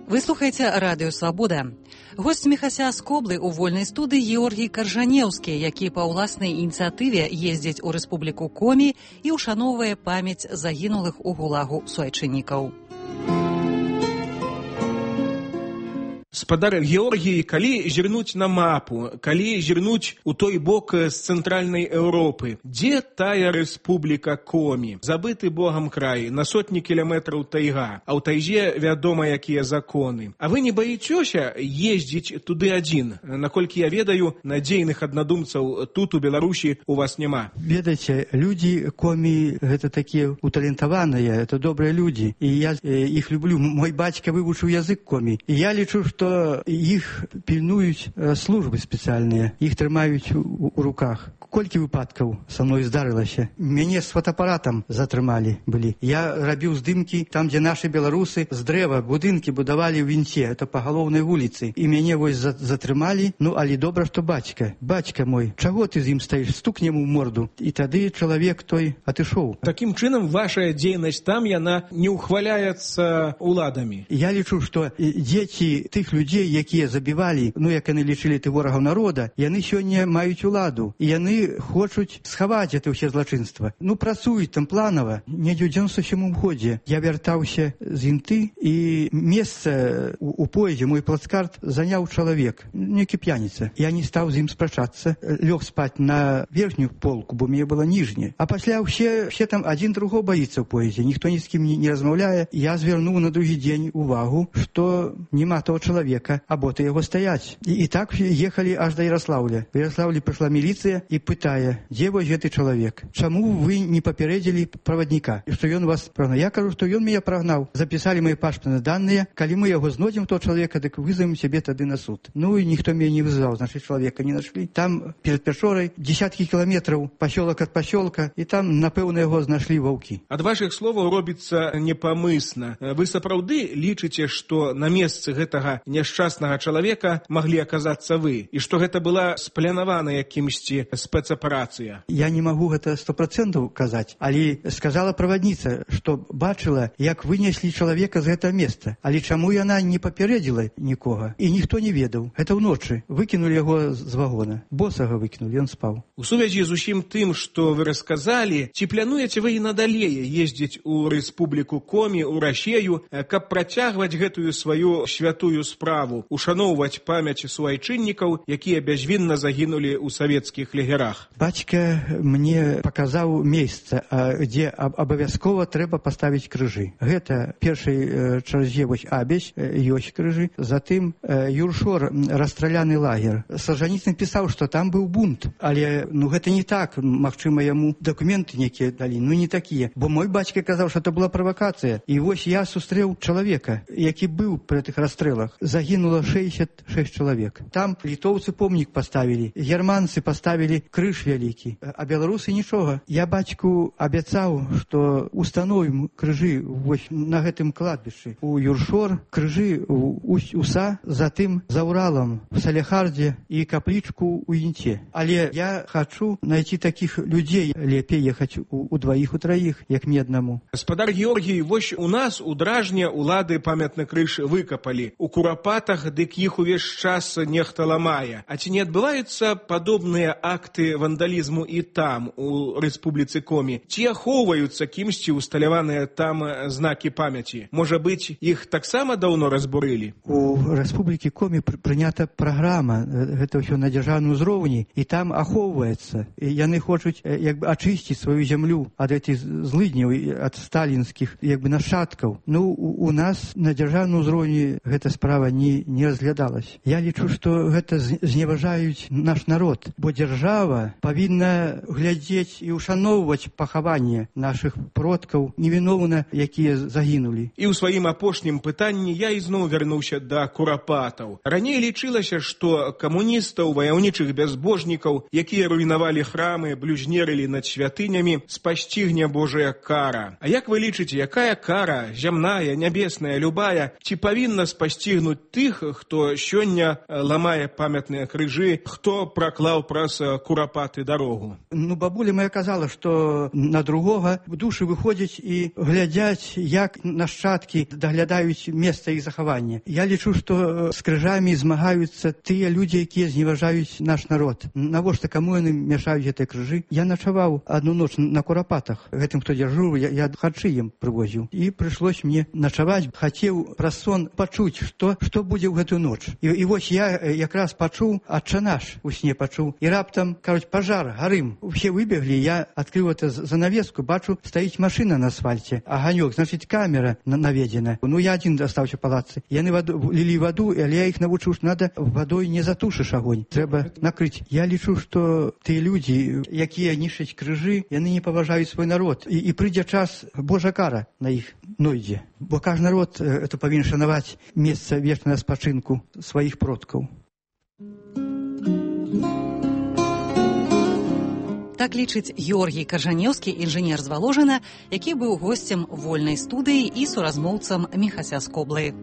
Вы слухаеце Радыё Свабода. Госць Міхася з Коблы ў вольнай студыі Георгій Каржанеўскі, які па ўласнай ініцыятыве ездзіць у Рэспубліку Комі і ушаноўвае памяць загінулых у гулагу суайчыннікаў. Спадар Георгій, калі зірнуць на мапу, калі зірнуць у той бок з цэнтральнай Еўропы, дзе тая рэспубліка Комі? Забыты Богам край, на сотні кіламетраў тайга, а ў тайзе вядома, якія законы. А вы не баіцёся ездзіць туды адзін? Наколькі я ведаю, надзейных аднадумцаў тут у Беларусі у вас няма. Ведаеце, людзі Комі гэта такія уталентаваныя, это добрыя людзі, і я іх люблю. Мой бацька вывучыў язык Комі, і я лічу, што іх пільнуюць службы спецыяльныя, іх трымаюць у, у руках. Колькі выпадкаў са мной здарылася? Мяне з фотоапаратам затрымалі былі. Я рабіў здымкі там, дзе нашы беларусы з дрэва будынкі будавалі ў вінце, это па галоўнай вуліцы. І мяне вось затрымалі, ну, але добра, што бацька. Бацька мой, чаго ты з ім стаіш? Стукнем у морду. І тады чалавек той атышоў. Такім чынам, ваша дзейнасць там, яна не ўхваляецца уладамі. Я лічу, што дзеці тых людзей, якія забівалі, ну, як яны лічылі ты ворагаў народа, яны сёння маюць уладу. І яны хочуць схаваць это ўсе злачынства. Ну, працуюць там планава. Недзе ў дзевяносто сёмым годзе я вяртаўся з Інты, і месца у, у поездзе, мой плацкарт, заняў чалавек, некі п'яніца. Я не стаў з ім спрачацца, лёг спаць на верхнюю полку, бо мне была ніжняя. А пасля ўсе, ўсе там адзін другого баіцца ў поездзе, ніхто ні з кім не, не размаўляе. Я звярнуў на другі дзень увагу, што няма того чалавека, а боты яго стаяць. І, і так ехалі аж да Ярослаўля. В Ярослаўлі прыйшла міліцыя і пытае, дзе вось гэты чалавек? Чаму вы не папярэдзілі правадніка? І што ён вас прагнаў? Я кажу, што ён мяне прагнаў. Запісалі мои пашпартныя даныя. Калі мы яго знойдзем, то чалавека, дык вызовем сябе тады на суд. Ну і ніхто мяне не вызваў, значыць, чалавека не нашлі. Там перад Пячорай десяткі кіламетраў пасёлак ад пасёлка, і там, напэўна, яго знашлі ваўкі. Ад вашых словаў робіцца непамысна. Вы сапраўды лічыце, што на месцы гэтага няшчаснага чалавека маглі аказацца вы, і што гэта была спланаваная кімсьці спецаперацыя? Я не магу гэта сто процентаў казаць, але сказала правадніца, што бачыла, як вынеслі чалавека з гэтага месца. Але чаму яна не папярэдзіла нікога? І ніхто не ведаў. Гэта ўночы. Выкінулі яго з вагона. Босага выкінулі, ён спаў. У сувязі з усім тым, што вы расказалі, ці плануеце вы і надалей ездзіць у Рэспубліку Комі, у Расею, каб працягваць гэтую сваю святую справу, ушаноўваць памяць суайчыннікаў, якія бязвінна загінулі ў савецкіх лагерах? Бацька мне паказаў месца, дзе абавязкова трэба паставіць крыжы. Гэта першай чарзе вось Абязь, ёсць крыжы, затым Юршор, расстраляны лагер. Сажаніцын пісаў, што там быў бунт, але ну гэта не так, магчыма, яму дакументы некія далі, ну не такія. Бо мой бацька казаў, што это была правакацыя. І вось я сустрэў чалавека, які быў пры гэтых расстрэлах. Загінула шэсцьдзесят шэсць чалавек. Там літоўцы помнік паставілі, германцы паставілі крыж вялікі, а беларусы нічога. Я бацьку абяцаў, што установім крыжы вось на гэтым кладбішчы. У Юршор крыжы у Уса, затым за Уралам, в Салехардзе і каплічку ў Інце. Але я хачу найти такіх людзей, лепей ехаць у, у дваіх, у траіх, як мне аднаму. Спадар Георгій, вось у нас у Дражне улады памятны крыж выкапалі. У Курапатах дык іх увесь час нехта ламае. А ці не адбываюцца падобныя акты вандалізму і там, у Рэспубліцы Комі? Ці ахоўваюцца кімсьці усталяваныя там знакі памяці? Можа быць, іх таксама даўно разбурылі? У Рэспублікі Комі прынята праграма, гэта ўсё на дзяржаўным узроўні, і там ахоўваецца. І яны хочуць як бы ачысціць сваю зямлю ад гэтых злыдняў, ад сталінскіх як бы нашчадкаў. Ну, у, у нас на дзяржаўным узроўні гэта справа не, не разглядалась. Я лічу, што гэта зневажаюць наш народ, бо дзяржава павінна глядзець і ушаноўваць пахаванне нашых продкаў, невіноўна, якія загінулі. І ў сваім апошнім пытанні я ізноў вярнуўся да Курапатаў. Раней лічылася, што камуністаў, ваяўнічых бязбожнікаў, якія руйнавалі храмы, блюзнерылі над святынямі, спасцігне Божая кара. А як вы лічыце, якая кара, зямная, нябесная, любая, ці павінна спасцігнуць тых, хто сёння ламае памятныя крыжы, хто праклаў праз Курапатаў курапаты дарогу. Ну, бабуля моя казала, што на другога душы выходзяць і глядзяць, як нашчадкі даглядаюць месца іх захавання. Я лічу, што з крыжамі змагаюцца тыя людзі, якія зневажаюць наш народ. Навошта каму яны мяшаюць гэтыя крыжы? Я начаваў одну ноч на курапатах. Гэтым, хто дзяжурыў, я, я харчы ім прывозіў. І прыйшлось мне начаваць. Хацеў праз сон пачуць, што, што будзе ў гэтую ноч. І, і вось я якраз пачуў, Отче наш у сне пачуў. І раптам, кажуць, пажар, гарым. Усе выбеглі, я адкрыў это занавеску, бачу, стаіць машына на асфальце. Аганёк, значыць, камера наведзена. Ну, я адзін астаўся палацы. Яны ваду, лілі ваду, але я іх навучыў, што надо вадой не затушыш агонь. Трэба накрыць. Я лічу, што тыя людзі, якія нішчаць крыжы, яны не паважаюць свой народ. І, і прыйдзе час, Божа кара на іх нойдзе. Бо кожны народ это павінен шанаваць месца вечнага спачынку сваіх продкаў. Так лічыць Георгій Каржанеўскі, інжынер з Валожына, які быў госцем вольнай студыі і суразмоўцам Міхася Скоблы.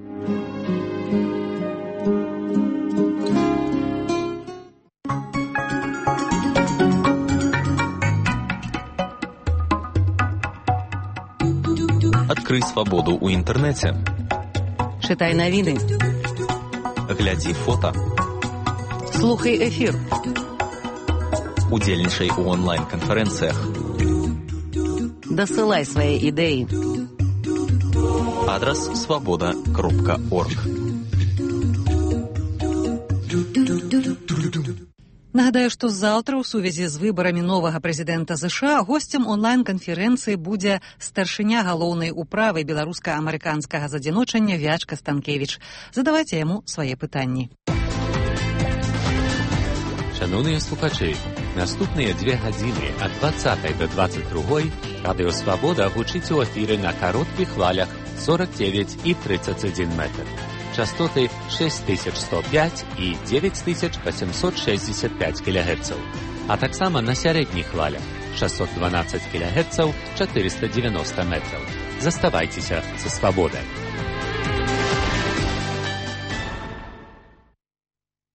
Адкрый свабоду ў інтэрнэце. Чытай навіны. Глядзі фота. Слухай эфір. Удзельнічай у онлайн-канферэнцыях. Дасылай свае ідэі. Адрас свабода кропка орг. Нагадаю, што заўтра ў сувязі з выбарамі новага прэзідэнта ЗША госцем онлайн-канферэнцыі будзе старшыня галоўнай управы беларуска-амерыканскага задзіночання Вячка Станкевіч. Задавайце яму свае пытанні. Шановныя слухачы, наступныя две гадзіны ад дваццатай да дваццаць другой радыё «Свабода» гучыць у эфіры на кароткіх хвалях сорок девять і тридцать один метр. Частоты шесть тысяч сто пять і девять тысяч восемьсот шестьдесят пять килогерцаў, а таксама на сярэдніх хвалях шестьсот двенадцать килогерцаў, четыреста девяносто метров. Заставайцеся са «Свабодай».